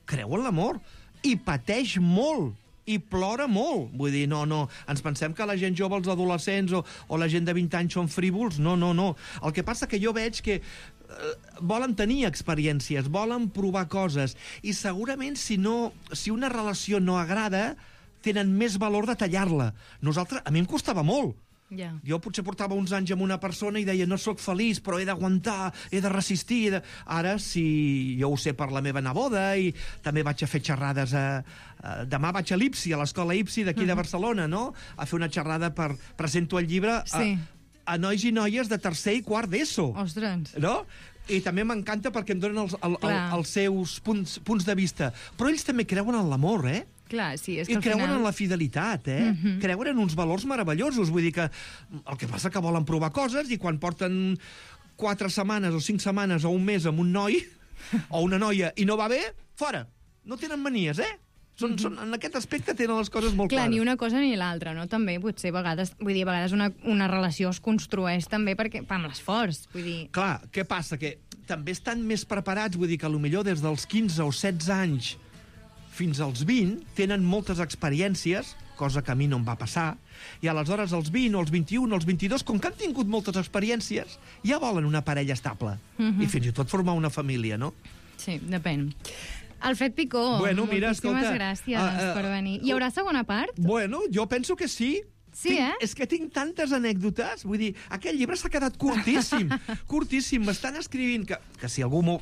creu en l'amor, i pateix molt, i plora molt. Vull dir, no, ens pensem que la gent jove, els adolescents o la gent de 20 anys són frívols. No. El que passa que jo veig que volen tenir experiències, volen provar coses, i segurament si una relació no agrada, tenen més valor de tallar-la. A mi em costava molt. Jo potser portava uns anys amb una persona i deia no sóc feliç, però he d'aguantar, he de resistir. Ara, si jo ho sé per la meva neboda, i també vaig a fer xerrades demà vaig a l'IPSI, a l'escola IPSI d'aquí de Barcelona, no?, a fer una xerrada presento el llibre a nois i noies de tercer i quart d'ESO. Ostres! No? I també m'encanta perquè em donen els seus punts de vista. Però ells també creuen en l'amor, Clar, sí, és que I creuen en la fidelitat, Creuen en uns valors meravellosos. Vull dir que el que passa que volen provar coses i quan porten 4 setmanes o 5 setmanes o un mes amb un noi o una noia i no va bé, fora. No tenen manies, en aquest aspecte tenen les coses molt clares. Clar, ni una cosa ni l'altra, no? També, potser, a vegades una relació es construeix també amb l'esforç, vull dir... Clar, què passa? Que també estan més preparats, vull dir que potser des dels 15 o 16 anys fins als 20 tenen moltes experiències, cosa que a mi no em va passar, i aleshores als 20 o als 21 o als 22, com que han tingut moltes experiències, ja volen una parella estable, i fins i tot formar una família, no? Sí, depèn. Alfred Picó, moltíssimes gràcies per venir. Hi haurà segona part? Bueno, jo penso que sí. Sí, És que tinc tantes anècdotes. Vull dir, aquest llibre s'ha quedat curtíssim. Curtíssim. M'estan escrivint que si algú...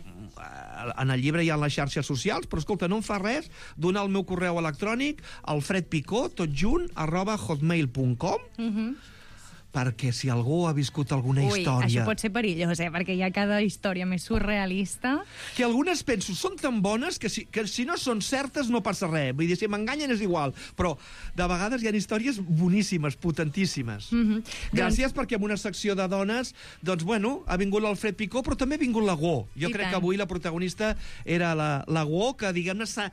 En el llibre hi ha les xarxes socials, però, escolta, no em fa res donar el meu correu electrònic alfredpicó, @hotmail.com, perquè si algú ha viscut alguna història... Això pot ser perillós, perquè hi ha cada història més surrealista. Que algunes, penso, són tan bones que si no són certes no passa res. Vull dir, si m'enganyen és igual. Però de vegades hi ha històries boníssimes, potentíssimes. Gràcies perquè en una secció de dones, doncs, bueno, ha vingut l'Alfred Picó, però també ha vingut la Go. Jo crec que avui la protagonista era la Go, que, diguem-ne, s'ha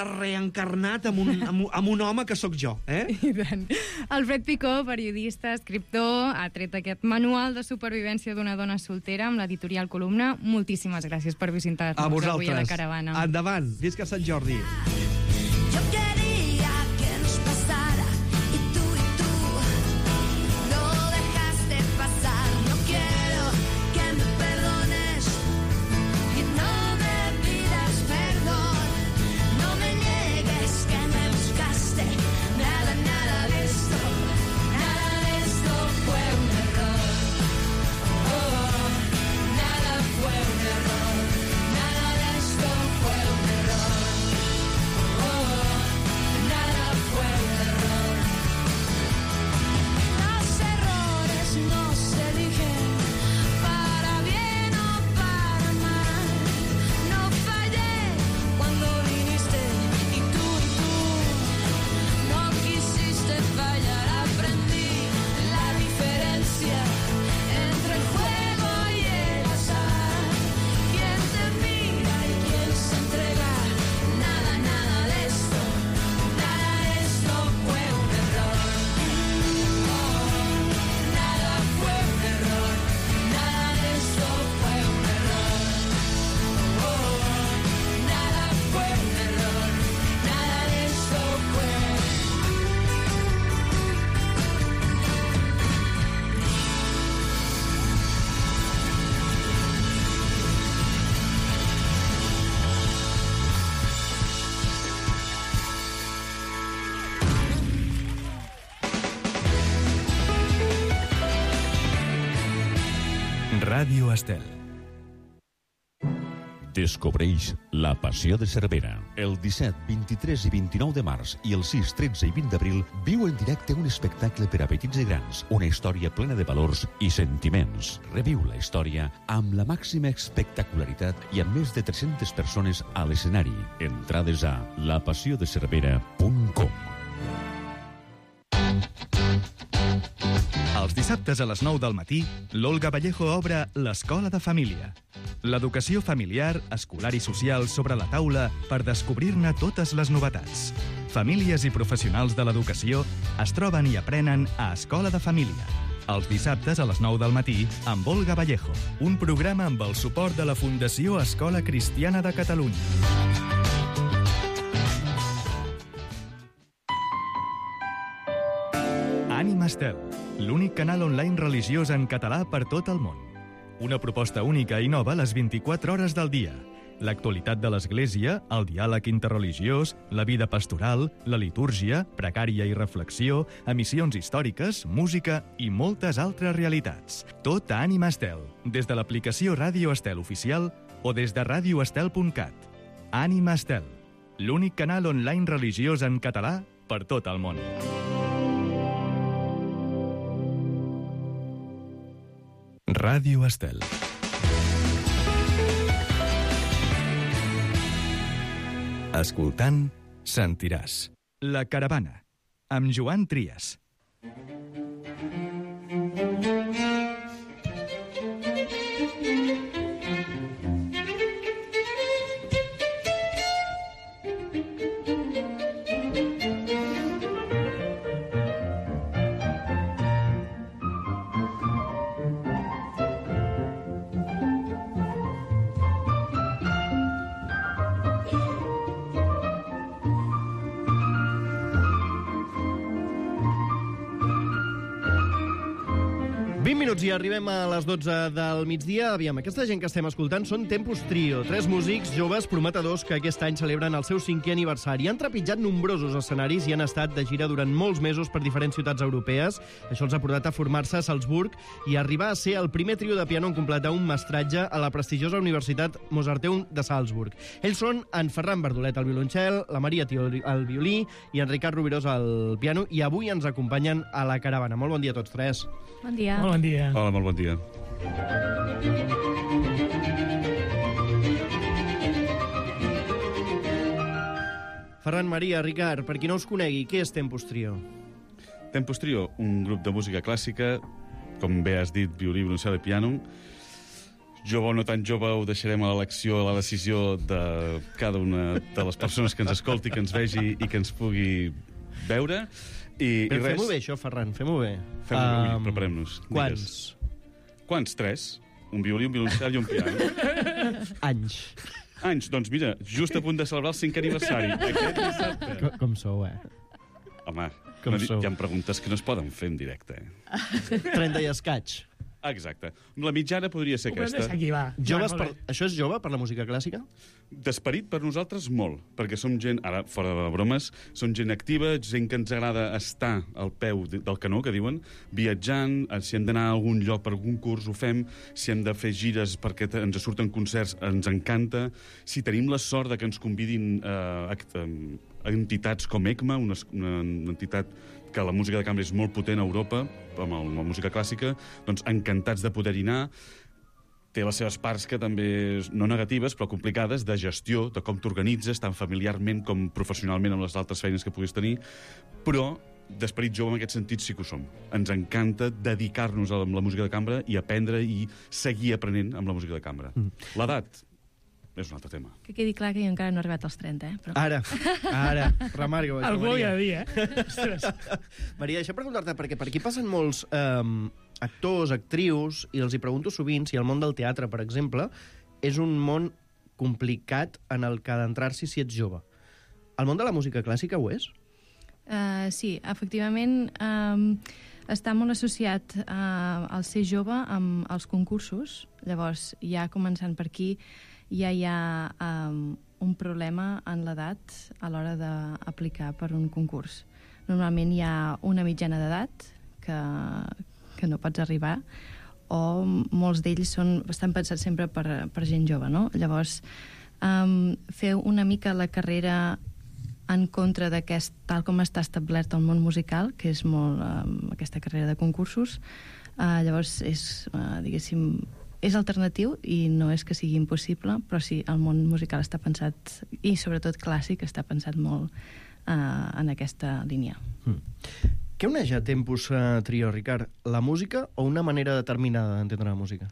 reencarnat amb un home que sóc jo. I tant. Alfred Picó, periodista, escriptor, ha tret aquest manual de supervivència d'una dona soltera amb l'editorial Columna. Moltíssimes gràcies per visitar-nos avui a la Caravana. Endavant, visca Sant Jordi. Yo quería que nos pasara y tú no dejaste pasar. No quiero que me perdones y no me pidas perdón. No me niegues que me buscaste. Nada de esto fue un error. Nada fue un error. Nada de esto fue un error. Nada fue un error. Los errores no se eligen para bien o para mal. No fallé cuando viniste y tú no quisiste fallar. Aprendí la diferencia entre el juego y el azar. Quien te mira y quien se entrega. Nada de esto fue un error. Nada fue un error. Nada de esto fue un error. Nada fue un error. Nada de esto fue. Ràdio Estel. Descobreix La Passió de Cervera. El 17, 23 i 29 de març i el 6, 13 i 20 d'abril viu en directe un espectacle per a petits i grans, una història plena de valors i sentiments. Reviu la història amb la màxima espectacularitat i amb més de 300 persones a l'escenari. Entrades a lapassiodecervera.com. Els dissabtes a les 9 del matí, l'Olga Vallejo obre l'Escola de Família. L'educació familiar, escolar i social sobre la taula per descobrir-ne totes les novetats. Famílies i professionals de l'educació es troben i aprenen a Escola de Família. Els dissabtes a les 9 del matí amb Olga Vallejo, un programa amb el suport de la Fundació Escola Cristiana de Catalunya. Ànima Estel, l'únic canal online religiós en català per tot el món. Una proposta única i nova a les 24 hores del dia. L'actualitat de l'Església, el diàleg interreligiós, la vida pastoral, la litúrgia, pregària i reflexió, emissions històriques, música i moltes altres realitats. Tot a Ànima Estel, des de l'aplicació Ràdio Estel oficial o des de radioestel.cat. Ànima Estel, l'únic canal online religiós en català per tot el món. Ràdio Estel. Escoltant, sentiràs. La Caravana, amb Joan Trias. I arribem a les 12 del migdia. Aviam, aquesta gent que estem escoltant són Tempus Trio, 3 músics joves prometedors que aquest any celebren el seu 5è aniversari. Han trepitjat nombrosos escenaris i han estat de gira durant molts mesos per diferents ciutats europees. Això els ha portat a formar-se a Salzburg i arribar a ser el primer trio de piano en completar un mestratge a la prestigiosa Universitat Mozarteum de Salzburg. Ells són en Ferran Bardolet al violoncel, la Maria Tió al violí i en Ricard Rubirós al piano, i avui ens acompanyen a la Caravana. Molt bon dia a tots tres. Bon dia. Molt bon dia. Hola, molt bon dia. Ferran, Maria, Ricard, per qui no us conegui, què és Tempus Trio? Tempus Trio, un grup de música clàssica, com bé has dit, violí, violoncel i piano. Jove o no tan jove, ho deixarem a l'elecció, a la decisió de cada una de les persones que ens escolti, que ens vegi i que ens pugui veure. I res... Fem-ho bé, això, Ferran, fem-ho bé. Fem-ho bé, preparem-nos. Quants? 3. Un violí, un violoncel i un piano. Anys. Doncs mira, just a punt de celebrar el 5è aniversari. Aquest dissabte. Com sou, Home, hi ha preguntes que no es poden fer en directe. 30 i escaig. Exacte. La mitjana podria ser aquesta. Aquí, va. Això és jove per la música clàssica? D'esperit per nosaltres molt, perquè som gent, ara fora de bromes, som gent activa, gent que ens agrada estar al peu del canó, que diuen, viatjant, si hem d'anar a algun lloc per algun curs ho fem, si hem de fer gires perquè ens surten concerts ens encanta, si tenim la sort de que ens convidin entitats com ECMA, una entitat que la música de cambra és molt potent a Europa, amb la música clàssica, doncs encantats de poder-hi anar. Té les seves parts que també, no negatives, però complicades, de gestió, de com t'organitzes, tant familiarment com professionalment amb les altres feines que puguis tenir, però d'esperit jove en aquest sentit sí que ho som. Ens encanta dedicar-nos a la música de cambra i aprendre i seguir aprenent amb la música de cambra. L'edat és un altre tema. Que quedi clar que jo encara no he arribat als 30, Però... Ara, remarca-ho. Algú ho ha de dir, Maria, deixa preguntar-te, perquè per aquí passen molts actors, actrius, i els hi pregunto sovint si el món del teatre, per exemple, és un món complicat en el que adentrar-s'hi si ets jove. El món de la música clàssica ho és? Sí, efectivament, està molt associat al ser jove amb els concursos. Llavors, ja començant per aquí, ja hi ha un problema en l'edat a l'hora d'aplicar per un concurs. Normalment hi ha una mitjana d'edat que no pots arribar, o molts d'ells estan pensats sempre per gent jove, no? Llavors, fer una mica la carrera en contra d'aquest, tal com està establert el món musical, que és molt aquesta carrera de concursos, llavors és, diguéssim, és alternatiu i no és que sigui impossible, però sí, el món musical està pensat, i sobretot clàssic, està pensat molt en aquesta línia. Què uneix a Tempus Trio, Ricard? La música o una manera determinada d'entendre la música?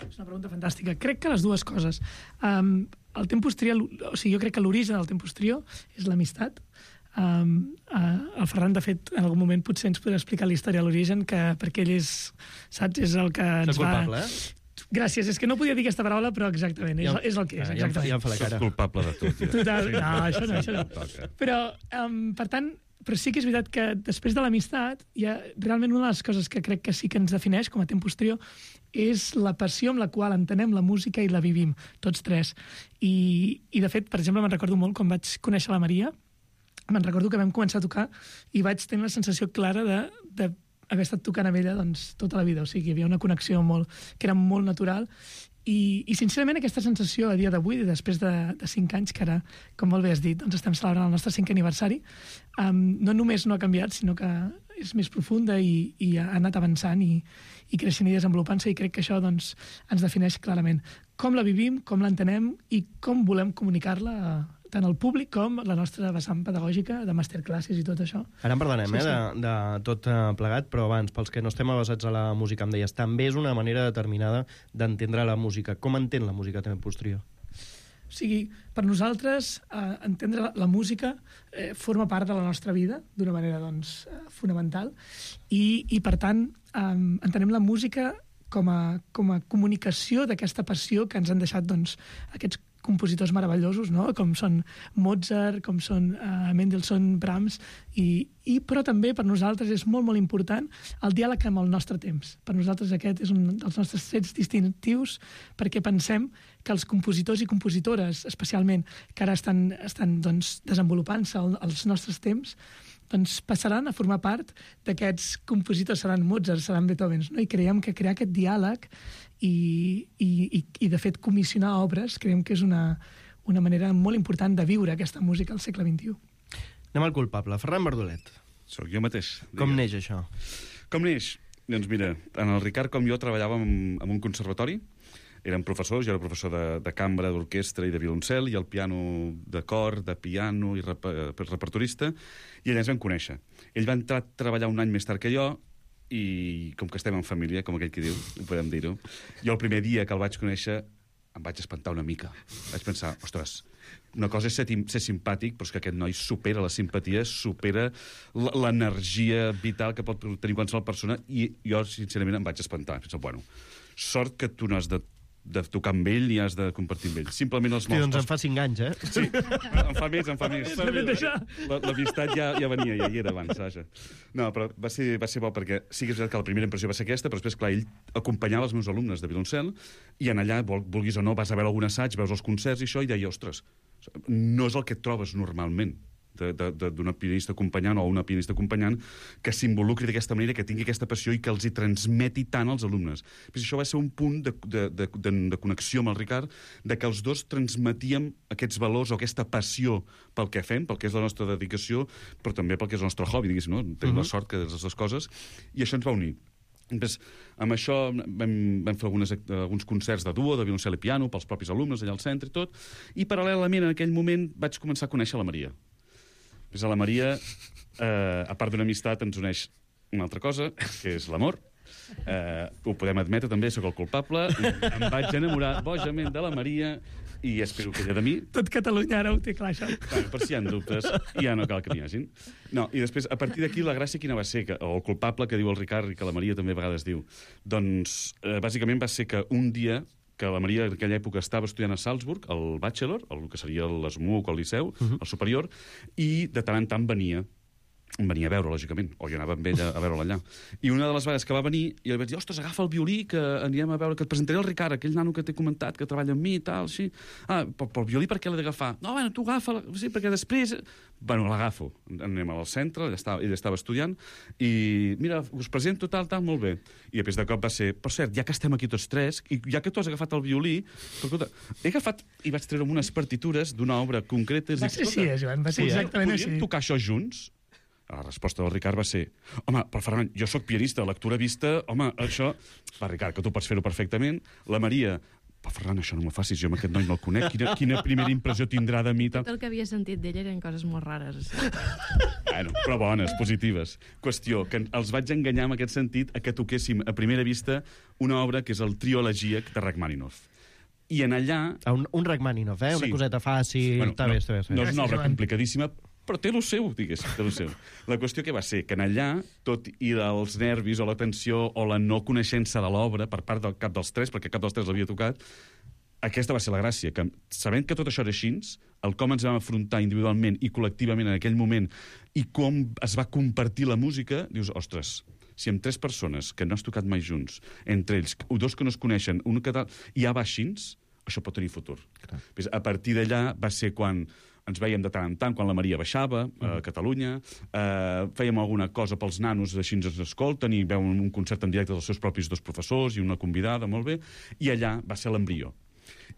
És una pregunta fantàstica. Crec que les dues coses. El Tempus Trio, o sigui, jo crec que l'origen del Tempus Trio és l'amistat. El Ferran, de fet, en algun moment potser ens podrà explicar la història de l'origen, perquè ell és, saps, és el que ens va... culpable, Gràcies, és que no podia dir aquesta paraula, però exactament, és el que és. Ja em fa la cara. Soc culpable de tot. Ja. Total, no, això no. Però, per tant, però sí que és veritat que després de l'amistat, realment una de les coses que crec que sí que ens defineix com a Tempus Trio és la passió amb la qual entenem la música i la vivim, tots tres. I de fet, per exemple, me'n recordo molt quan vaig conèixer la Maria, me'n recordo que vam començar a tocar i vaig tenir la sensació clara d'haver estat tocant amb ella tota la vida. O sigui, hi havia una connexió que era molt natural. I sincerament aquesta sensació a dia d'avui, després de 5 anys, que ara, com molt bé has dit, estem celebrant el nostre 5è aniversari, no només no ha canviat, sinó que és més profunda i ha anat avançant i creixent i desenvolupant-se, i crec que això ens defineix clarament com la vivim, com l'entenem i com volem comunicar-la tant el públic com la nostra vessant pedagògica de masterclasses i tot això. Ara en parlarem, Sí, sí. de tot plegat, però abans, pels que no estem avasats a la música, em deies, també és una manera determinada d'entendre la música. Com entén la música també Posterior? O sigui, per nosaltres, entendre la música forma part de la nostra vida d'una manera doncs, fonamental i per tant, entenem la música com a comunicació d'aquesta passió que ens han deixat doncs, aquests compositors meravellosos, no? Com són Mozart, com són Mendelssohn, Brahms, però també per nosaltres és molt, molt important el diàleg amb el nostre temps. Per nosaltres aquest és un dels nostres trets distintius perquè pensem que els compositors i compositores, especialment, que ara estan doncs, desenvolupant-se als nostres temps, doncs passaran a formar part d'aquests compositors, seran Mozart, seran Beethoven, no? I creiem que crear aquest diàleg i de fet comissionar obres creiem que és una manera molt important de viure aquesta música al segle XXI. Anem al culpable, Ferran Bardolet. Soc jo mateix. Com neix això? Com neix? Doncs mira, en el Ricard com jo treballàvem en un conservatori, érem professors, jo era professor de cambra, d'orquestra i de violoncel, i el piano de cor, de piano i repertorista, i allà ens vam conèixer. Ell va entrar a treballar un any més tard que jo, i com que estem en família, com aquell que diu, ho podem dir-ho, jo el primer dia que el vaig conèixer em vaig espantar una mica. Vaig pensar, ostres, una cosa és ser simpàtic, però és que aquest noi supera la simpatia, supera l'energia vital que pot tenir qualsevol persona, i jo, sincerament, em vaig espantar. Penso, bueno, sort que tu no has de tocar amb ell i has de compartir amb ell. Simplement els Hosti, doncs em fa 5 anys, eh? Sí, em fa més. L'amistat ja venia, ja hi era abans, vaja. No, però va ser bo perquè sí que és veritat que la primera impressió va ser aquesta, però després, clar, ell acompanyava els meus alumnes de violoncel i en allà, vulguis o no, vas a veure algun assaig, veus els concerts i això, i deia, ostres, no és el que et trobes normalment d'una pianista acompanyant o una pianista acompanyant que s'involucri d'aquesta manera, que tingui aquesta passió i que els hi transmeti tant als alumnes. Però això va ser un punt de connexió amb el Ricard, de que els dos transmetíem aquests valors o aquesta passió pel que fem, pel que és la nostra dedicació, però també pel que és el nostre hobby, diguéssim, no? Tenim la sort que és les dues coses, i això ens va unir. Després, amb això vam fer alguns concerts de duo, de violoncel i piano, pels propis alumnes allà al centre i tot, i paral·lelament en aquell moment vaig començar a conèixer la Maria. Després a la Maria, a part d'una amistat, ens uneix una altra cosa, que és l'amor. Ho podem admetre també, sóc el culpable. Em vaig enamorar bojament de la Maria i espero que ella de mi. Tot Catalunya ara ho té clar, això. Bueno, per si hi ha dubtes, ja no cal que n'hi hagin. No, i després, a partir d'aquí, la gràcia quina va ser? O el culpable que diu el Ricard i que la Maria també a vegades diu. Doncs, bàsicament va ser que un dia que la Maria en aquella època estava estudiant a Salzburg, el bachelor, el que seria l'ESMUC o el Liceu, el superior, i de tant en tant venia a veure, lògicament, o jo anava amb ella a veure-la allà. I una de les vegades que va venir, jo li vaig dir, ostres, agafa el violí, que anirem a veure, que et presentaré el Ricard, aquell nano que t'he comentat, que treballa amb mi i tal, així. Però el violí per què l'he d'agafar? No, bueno, tu agafa, sí, perquè després... Bueno, l'agafo. Anem al centre, ell estava estudiant, i mira, us presento tal, molt bé. I després de cop va ser, per cert, ja que estem aquí tots tres, i ja que tu has agafat el violí, escolta, he agafat i vaig treure unes partitures d'una obra concreta. Va ser així, Joan, va ser exactament així. Podríem tocar això junts? La resposta del Ricard va ser, home, però Ferran, jo sóc pianista, lectura vista, home, això... Va, Ricard, que tu pots fer-ho perfectament. La Maria, però Ferran, això no m'ho facis, jo amb aquest noi no el conec, quina primera impressió tindrà de mi? Tot el que havia sentit d'ell eren coses molt rares. Bueno, però bones, positives. Qüestió, que els vaig enganyar en aquest sentit a que toquéssim a primera vista una obra que és el Trio elegíac de Rachmaninoff. I en allà... Un Rachmaninoff, Una coseta fàcil... Bueno, està bé. No és una obra complicadíssima, però té el seu, diguéssim, té el seu. La qüestió que va ser que en allà, tot i els nervis o la tensió o la no coneixença de l'obra per part del cap dels tres, perquè cap dels tres l'havia tocat, aquesta va ser la gràcia, que sabent que tot això era així, el com ens vam afrontar individualment i col·lectivament en aquell moment i com es va compartir la música, dius, ostres, si amb 3 persones que no has tocat mai junts, entre ells, 2 que no es coneixen, un que tal, i ja va així, això pot tenir futur. A partir d'allà va ser quan ens veiem de tant en tant, quan la Maria baixava a Catalunya, fèiem alguna cosa pels nanos, així ens escolten, i veuen un concert en directe dels seus propis 2 professors i una convidada, molt bé, i allà va ser l'embrió.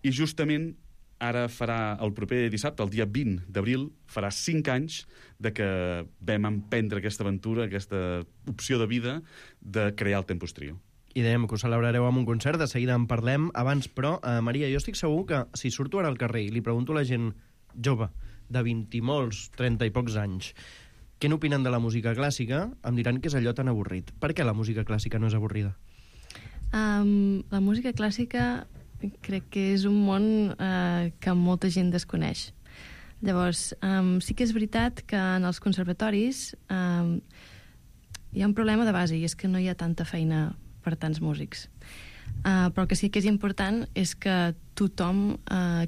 I justament ara farà el proper dissabte, el dia 20 d'abril, farà 5 anys de que vam emprendre aquesta aventura, aquesta opció de vida de crear el Tempus Trio. I dèiem que ho celebrareu amb un concert, de seguida en parlem. Abans, però, Maria, jo estic segur que si surto ara al carrer i li pregunto a la gent jove, de 20 i molts, 30 i pocs anys, què n'opinen de la música clàssica, em diran que és allò tan avorrit. Per què la música clàssica no és avorrida? La música clàssica crec que és un món que molta gent desconeix. Llavors, sí que és veritat que en els conservatoris hi ha un problema de base, i és que no hi ha tanta feina per tants músics. Però el que sí que és important és que tothom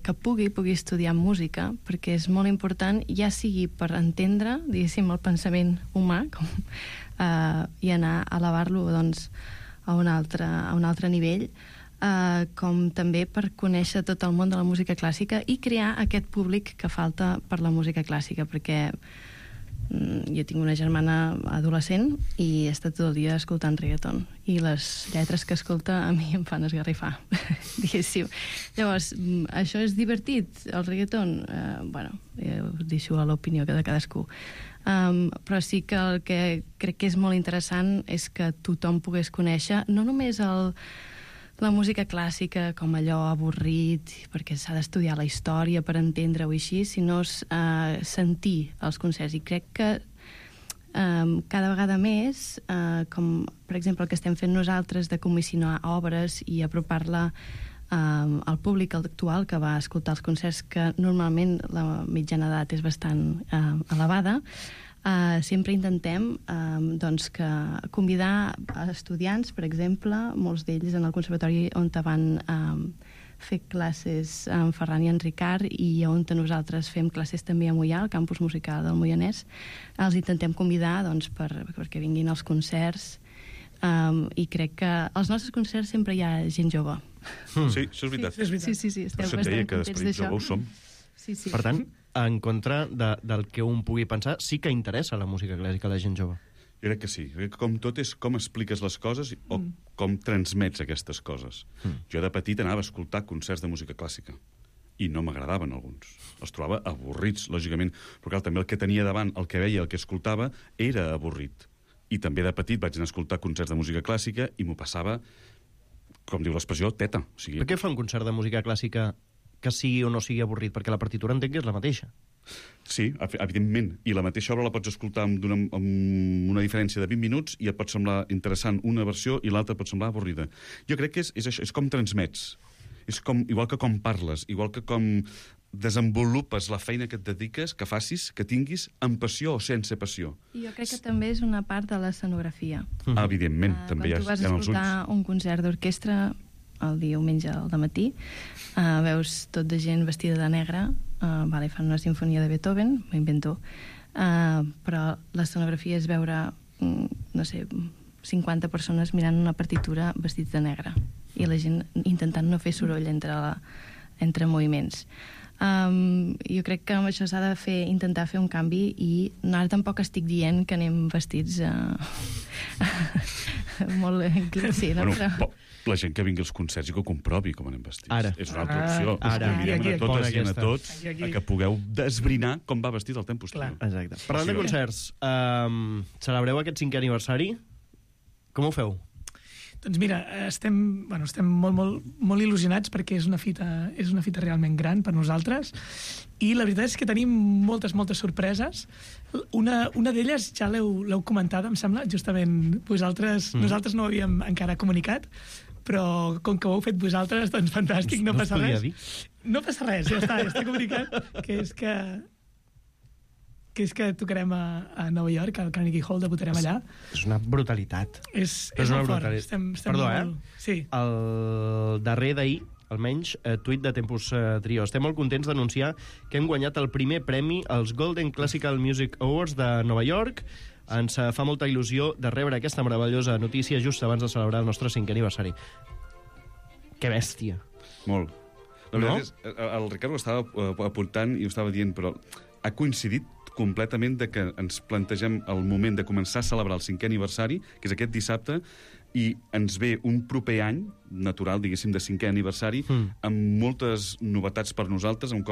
que pugui estudiar música, perquè és molt important, ja sigui per entendre, diguéssim, el pensament humà i anar a elevar-lo doncs, a un altre nivell, com també per conèixer tot el món de la música clàssica i crear aquest públic que falta per la música clàssica, perquè jo tinc una germana adolescent i està tot el dia escoltant reggaeton i les lletres que escolta a mi em fan esgarrifar, diguéssim. Llavors, això és divertit, el reggaeton? Bueno, ho deixo a l'opinió de cadascú. Però sí que el que crec que és molt interessant és que tothom pogués conèixer no només la música clàssica com allò avorrit, perquè s'ha d'estudiar la història per entendre-ho així, sinó sentir els concerts. I crec que cada vegada més, com per exemple el que estem fent nosaltres de comissionar obres i apropar-la al públic actual que va escoltar els concerts, que normalment la mitjana d'edat és bastant elevada, sempre intentem doncs, convidar estudiants, per exemple, molts d'ells en el conservatori on van fer classes en Ferran i en Ricard i on nosaltres fem classes també a Moià, al campus musical del Moianès. Els intentem convidar doncs, perquè vinguin als concerts i crec que als nostres concerts sempre hi ha gent jove. Sí, això és veritat. Sí, per això et deia que d'esperit jove ho som. Per tant, en contra del que un pugui pensar, sí que interessa la música clàssica a la gent jove. Jo crec que sí. Crec que com tot és com expliques les coses o com transmets aquestes coses. Jo de petit anava a escoltar concerts de música clàssica i no m'agradaven alguns. Els trobava avorrits, lògicament, però clar, també el que tenia davant, el que veia, el que escoltava, era avorrit. I també de petit vaig anar a escoltar concerts de música clàssica i m'ho passava, com diu l'expressió, teta. O sigui... Per què fa un concert de música clàssica que sigui o no sigui avorrit? Perquè la partitura entenc que és la mateixa. Sí, evidentment. I la mateixa obra la pots escoltar amb una diferència de 20 minuts i et pot semblar interessant una versió i l'altra pot semblar avorrida. Jo crec que és això, és com transmets. És com, igual que com parles, igual que com desenvolupes la feina que et dediques, que facis, que tinguis amb passió o sense passió. I jo crec que també és una part de l'escenografia. Evidentment, també hi ha els ulls. Quan tu vas escoltar un concert d'orquestra el diumenge al dematí, veus tot de gent vestida de negre, fan una sinfonia de Beethoven, m'ho invento, però l'escenografia és veure, no sé, 50 persones mirant una partitura vestits de negre i la gent intentant no fer soroll entre moviments. Jo crec que amb això s'ha de intentar fer un canvi i ara tampoc estic dient que anem vestits molt sí, no? Bueno, la gent que vingui als concerts i que ho comprovi com anem vestits. Ara. És una altra opció. Convidem a totes i a tots a que pugueu desbrinar com va vestit el temps posterior. Exacte. Parlant de concerts, celebreu aquest 5è aniversari? Com ho feu? Doncs mira, estem molt il·lusionats perquè és una fita realment gran per nosaltres i la veritat és que tenim moltes sorpreses. Una d'elles ja l'heu comentada, em sembla, justament nosaltres no ho havíem encara comunicat, però com que ho heu fet vosaltres, doncs fantàstic, no passa res. No passa res, ja està comunicat, que és que tocarem a Nova York, al Carnegie Hall, debutarem allà. És una brutalitat. És molt fort. Perdó, Sí. El darrer d'ahir, almenys, tuit de Tempus Trio. Estem molt contents d'anunciar que hem guanyat el primer premi als Golden Classical Music Awards de Nova York. Ens fa molta il·lusió de rebre aquesta meravellosa notícia just abans de celebrar el nostre 5è aniversari. Que bèstia. Molt. La veritat és, el Ricard ho estava apuntant i ho estava dient, però ha coincidit completament de que ens plantegem el moment de començar a celebrar el 5è aniversari, que és aquest dissabte, i ens ve un proper any natural, diguéssim, de 5è aniversari, amb moltes novetats per nosaltres, amb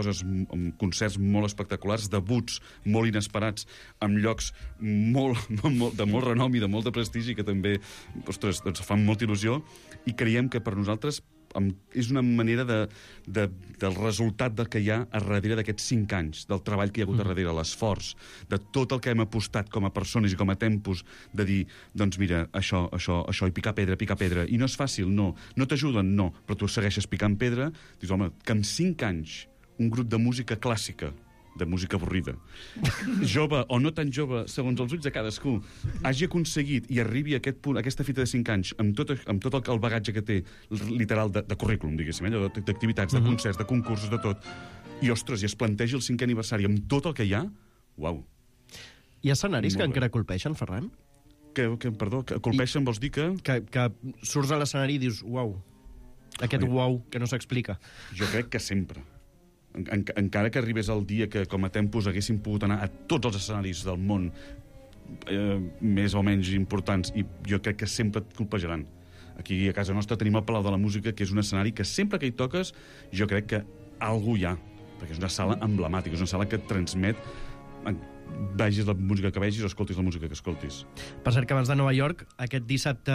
concerts molt espectaculars, debuts molt inesperats, amb llocs de molt renom i de molt de prestigi, que també, ostres, doncs fan molta il·lusió, i creiem que per nosaltres és una manera del resultat del que hi ha a darrere d'aquests 5 anys, del treball que hi ha hagut a darrere, l'esforç, de tot el que hem apostat com a persones i com a tempos, de dir, doncs mira, això, i picar pedra, i no és fàcil, no t'ajuden, no, però tu segueixes picant pedra, dius, home, que en 5 anys un grup de música clàssica, de música avorrida, jove o no tan jove, segons els ulls de cadascú, hagi aconseguit i arribi a aquest punt, a aquesta fita de 5 anys, amb tot el bagatge que té, literal, de currículum, diguéssim, d'activitats, de concerts, de concursos, de tot, i, ostres, i es plantegi el 5è aniversari amb tot el que hi ha, uau. Hi ha escenaris que encara colpeixen, Ferran? Perdó, que colpeixen vols dir que... Que surts a l'escenari i dius, uau, aquest uau que no s'explica. Jo crec que sempre. Encara que arribés el dia que com a tempos haguéssim pogut anar a tots els escenaris del món més o menys importants, i jo crec que sempre et colpejaran. Aquí a casa nostra tenim el Palau de la Música, que és un escenari que sempre que hi toques jo crec que algú hi ha, perquè és una sala emblemàtica, és una sala que et transmet, vegis la música que vegis o escoltis la música que escoltis. Per cert, que abans de Nova York, aquest dissabte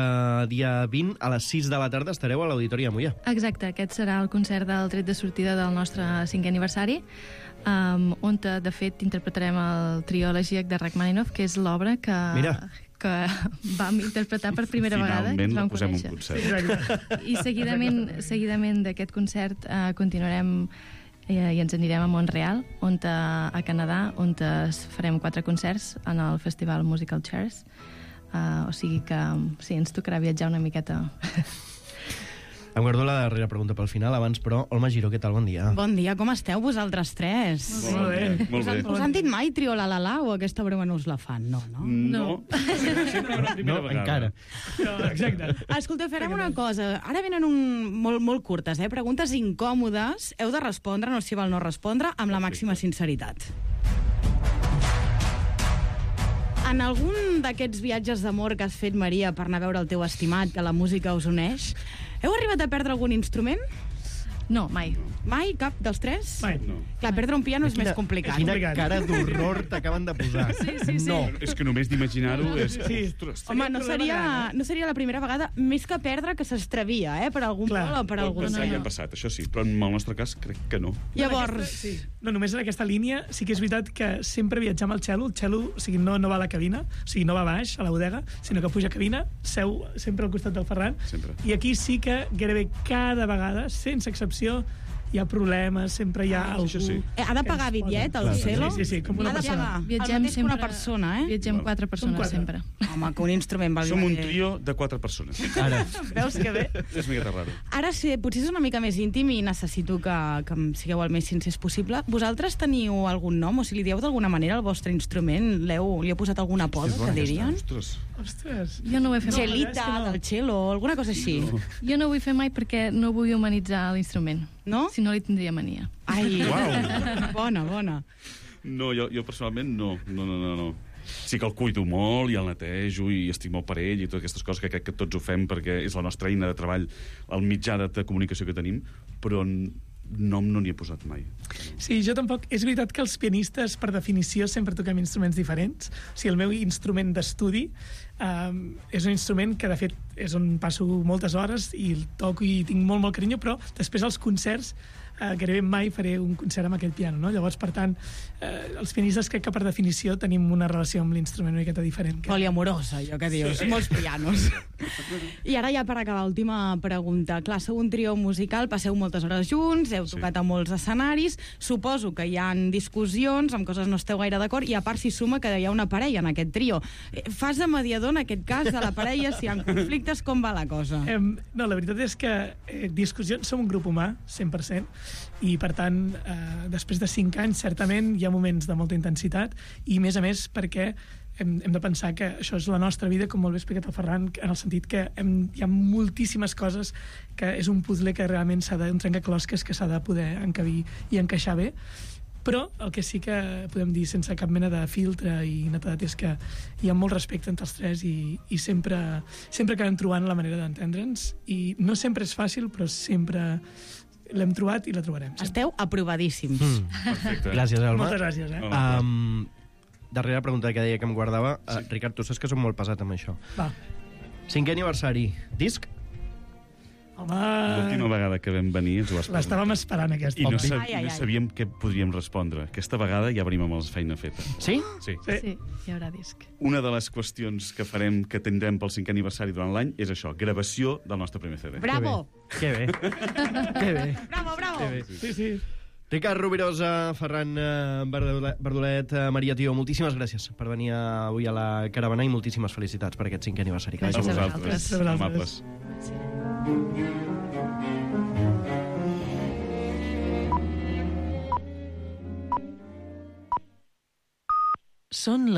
dia 20, a les 6 de la tarda estareu a l'Auditori de Moià. Exacte, aquest serà el concert del tret de sortida del nostre 5è aniversari, on, de fet, interpretarem el trio elegíac de Rachmaninoff, que és l'obra que vam interpretar per primera vegada. Finalment la posem un concert. I seguidament d'aquest concert continuarem i ens anirem a Montreal, a Canadà, on farem 4 concerts en el Festival Musical Chairs. O sigui que sí, ens tocarà viatjar una miqueta. Em guardo la darrera pregunta pel final, abans, però, Olma Giró, què tal? Bon dia. Bon dia, com esteu vosaltres tres? Molt bé. Us han dit mai trio la la la o aquesta broma no us la fan? No. Sempre una primera vegada. Encara. Exacte. Escolteu, farem una cosa. Ara venen molt curtes, preguntes incòmodes. Heu de respondre, no s'hi val no respondre, amb la màxima sinceritat. En algun d'aquests viatges d'amor que has fet, Maria, per anar a veure el teu estimat, que la música us uneix, heu arribat a perdre algun instrument? No, mai. Mai? Cap dels tres? Mai. No. Clar, perdre un piano és més complicat. Quina cara d'horror t'acaben de posar. Sí. No. És que només d'imaginar-ho és... Sí. Ostres. Home, no seria la primera vegada, més que perdre, que s'extravia, per algun vol o per algun... Ja ha passat, això sí, però en el nostre cas crec que no. Llavors... No, només en aquesta línia sí que és veritat que sempre viatjar amb el cello, o sigui, no va a la cabina, o sigui, no va baix, a la bodega, sinó que puja a cabina, seu sempre al costat del Ferran, sempre. I aquí sí que gairebé cada vegada, sense excepció, hi ha problemes, sempre hi ha algú... Sí. Ha de pagar bitllet, el cello? Sí, com una persona. Viatgem sempre una persona, Viatgem 4 persones sempre. Home, que un instrument valgui... Som un trio de 4 persones. Ara. Veus que bé? És miqueta raro. Ara sí, potser és una mica més íntim i necessito que sigueu el més sincers possible. Vosaltres teniu algun nom? O si li dieu d'alguna manera al vostre instrument? Li heu posat algun apodo, que dirien? Ostres. Jo no ho he fet mai. Gelita, del cello, alguna cosa així. Jo no ho vull fer mai perquè no vull humanitzar l'instrument. No? Si no li tindria mania. Ai, Uau. bona. No, jo personalment no. Sí que el cuido molt i el netejo i estic molt per ell i totes aquestes coses que crec que tots ho fem perquè és la nostra eina de treball, el mitjà de comunicació que tenim, però nom no n'hi he posat mai. Sí, jo tampoc. És veritat que els pianistes, per definició, sempre toquem instruments diferents. O sigui, el meu instrument d'estudi és un instrument que, de fet, és on passo moltes hores i el toco i tinc molt carinyo, però després als concerts gairebé mai faré un concert amb aquell piano, no? Llavors, per tant, els pianistes crec que per definició tenim una relació amb l'instrument una miqueta diferent. Poliamorosa, allò que dius. Sí. Molts pianos. I ara ja per acabar, última pregunta. Clar, sou un trio musical, passeu moltes hores junts, heu tocat a molts escenaris, suposo que hi ha discussions, amb coses no esteu gaire d'acord, i a part s'hi suma que hi ha una parella en aquest trio. Fas de mediador en aquest cas de la parella, si hi ha conflictes, com va la cosa? No, la veritat és que discussions, som un grup humà, 100%, i per tant, després de 5 anys, certament hi ha moments de molta intensitat, i a més perquè hem de pensar que això és la nostra vida, com molt bé explicat el Ferran, en el sentit que hi ha moltíssimes coses, que és un puzzle que realment s'ha un trencaclosques que s'ha de poder encabir i encaixar bé. Però el que sí que podem dir sense cap mena de filtre i netedat és que hi ha molt respecte entre els tres i sempre acabem trobant la manera d'entendre'ns, i no sempre és fàcil, però sempre l'hem trobat i la trobarem. Sempre. Esteu aprovadíssims. Perfecte. Gràcies, Alma. Moltes gràcies. Darrera pregunta que deia que em guardava. Sí. Ricard, tu saps que som molt pesat amb això. Va. 5è aniversari. Disc? L'última vegada que vam venir ens ho vas preguntar. L'estàvem esperant, aquesta. I no sabíem què podríem respondre. Aquesta vegada ja venim amb la feina feta. Sí? Sí. Sí, hi haurà disc. Una de les qüestions que tindrem pel 5è aniversari durant l'any és això, gravació del nostre primer CD. Bravo! Que bé. Que bé. Bravo, bravo! Que bé. Sí. Ricard Rovirosa, Ferran Verdolet, Maria Tió, moltíssimes gràcies per venir avui a la caravana i moltíssimes felicitats per aquest 5è aniversari. A vosaltres, amables. Són les